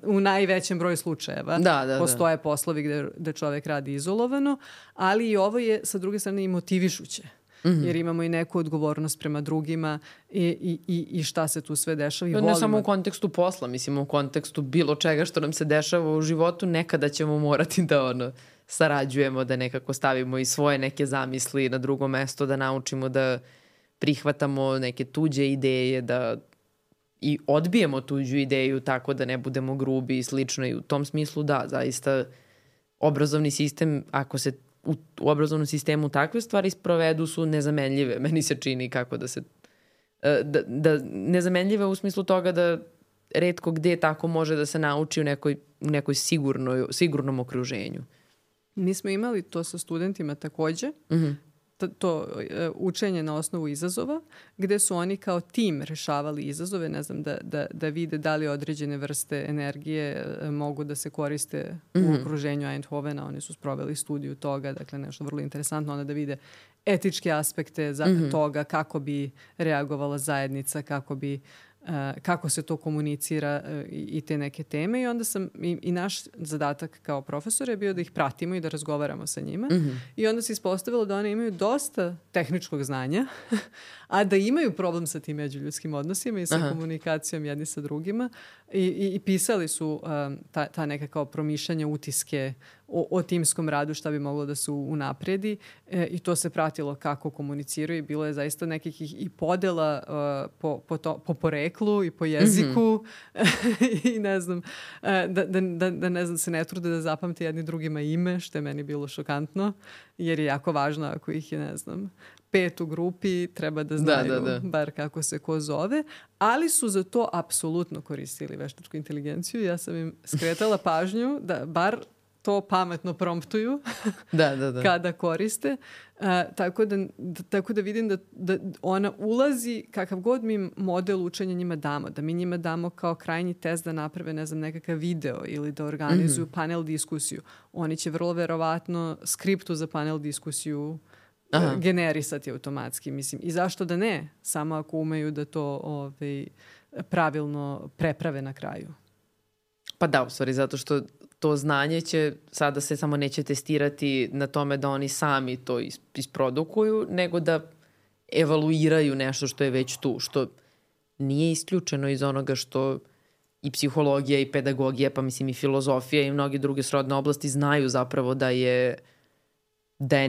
Speaker 2: U najvećem broju slučajeva. Postoje poslovi gde čovjek radi izolovano, ali i ovo je sa druge strane i motivišuće. Jer imamo i neku odgovornost prema drugima i šta se tu sve dešava.
Speaker 1: Ne samo u kontekstu posla, mislim u kontekstu bilo čega što nam se dešava u životu, nekada ćemo morati da sarađujemo, da nekako stavimo i svoje neke zamisli na drugo mesto, da naučimo da prihvatamo neke tuđe ideje, da i odbijemo tuđu ideju tako da ne budemo grubi i slično, i u tom smislu da, zaista obrazovni sistem, ako se u obrazovnom sistemu takve stvari sprovedu, su nezamenljive. Meni se čini kako da se nezamenljive u smislu toga da retko gde tako može da se nauči u nekoj sigurnom okruženju.
Speaker 2: Mi smo imali to sa studentima takođe, to učenje na osnovu izazova, gde su oni kao tim rešavali izazove, ne znam, da vide da li određene vrste energije mogu da se koriste u okruženju Eindhovena. Oni su sproveli studiju toga, dakle nešto vrlo interesantno, onda da vide etičke aspekte toga, kako bi reagovala zajednica, kako se to komunicira i te neke teme. I onda i naš zadatak kao profesor je bio da ih pratimo i da razgovaramo sa njima. I onda se ispostavilo da oni imaju dosta tehničkog znanja, a da imaju problem sa tim međuljudskim odnosima i sa komunikacijom jedni sa drugima. I pisali su ta neka kao promišljanja, utiske o timskom radu, šta bi moglo da se unapredi, i to se pratilo kako komuniciraju i bilo je zaista nekih i podela po poreklu i po jeziku i ne znam, da ne znam, se ne trude da zapamte jedni drugima ime, što je meni bilo šokantno, jer je jako važno ako ih je, ne znam, 5 u grupi, treba da znaju bar kako se ko zove, ali su za to apsolutno koristili veštačku inteligenciju. Ja sam im skretala pažnju da bar to pametno promptuju kada koriste. Tako da vidim da ona ulazi, kakav god mi model učenja njima damo, da mi njima damo kao krajnji test da naprave, ne znam, nekakav video ili da organizuju panel diskusiju. Oni će vrlo verovatno skriptu za panel diskusiju generisati automatski, mislim. I zašto da ne? Samo ako umeju da to pravilno preprave na kraju.
Speaker 1: Pa da, u stvari, zato što to znanje će, sada se samo neće testirati na tome da oni sami to isprodukuju, nego da evaluiraju nešto što je već tu, što nije isključeno iz onoga što i psihologija i pedagogija, pa mislim i filozofija i mnoge druge srodne oblasti znaju zapravo da je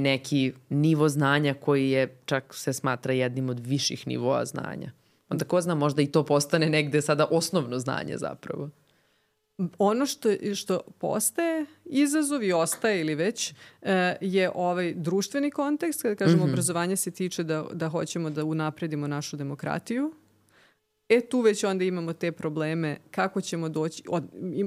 Speaker 1: neki nivo znanja koji je, čak se smatra jednim od viših nivoa znanja. Onda ko zna, možda i to postane negde sada osnovno znanje zapravo.
Speaker 2: Ono što postaje izazov i ostaje ili već je ovaj društveni kontekst. Kada kažemo obrazovanje se tiče da hoćemo da unapredimo našu demokratiju. Tu već onda imamo te probleme kako ćemo doći.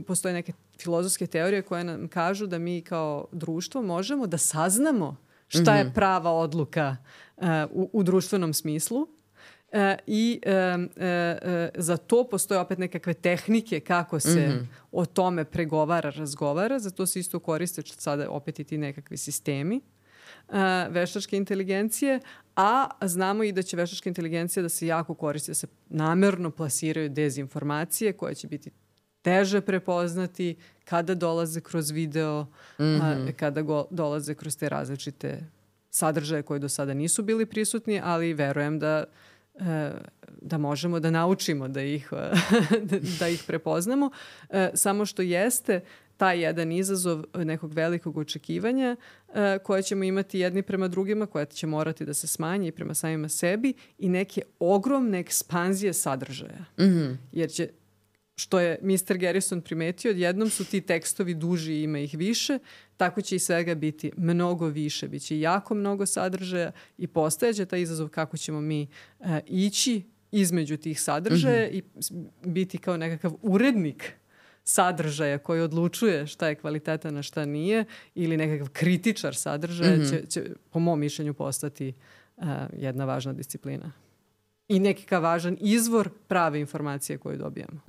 Speaker 2: Postoje neke filozofske teorije koje nam kažu da mi kao društvo možemo da saznamo šta je prava odluka u društvenom smislu. Za to postoje opet nekakve tehnike kako se o tome pregovara, razgovara. Zato se isto koriste sada opet i ti nekakvi sistemi veštačke inteligencije, a znamo i da će veštačka inteligencija da se jako koristi, da se namerno plasiraju dezinformacije koje će biti teže prepoznati kada dolaze kroz video, kada dolaze kroz te različite sadržaje koji do sada nisu bili prisutni, ali verujem da možemo da naučimo da ih prepoznamo. Samo što jeste taj jedan izazov nekog velikog očekivanja koje ćemo imati jedni prema drugima, koja će morati da se smanji i prema samima sebi i neke ogromne ekspanzije sadržaja. Jer će, što je Mr. Garrison primetio, odjednom su ti tekstovi duži i ima ih više, tako će i svega biti mnogo više. Biće jako mnogo sadržaja i postajeće taj izazov kako ćemo mi ići između tih sadržaja i biti kao nekakav urednik sadržaja koji odlučuje šta je kvaliteta na šta nije ili nekakav kritičar sadržaja će po mom mišljenju postati jedna važna disciplina. I nekakav važan izvor prave informacije koju dobijamo.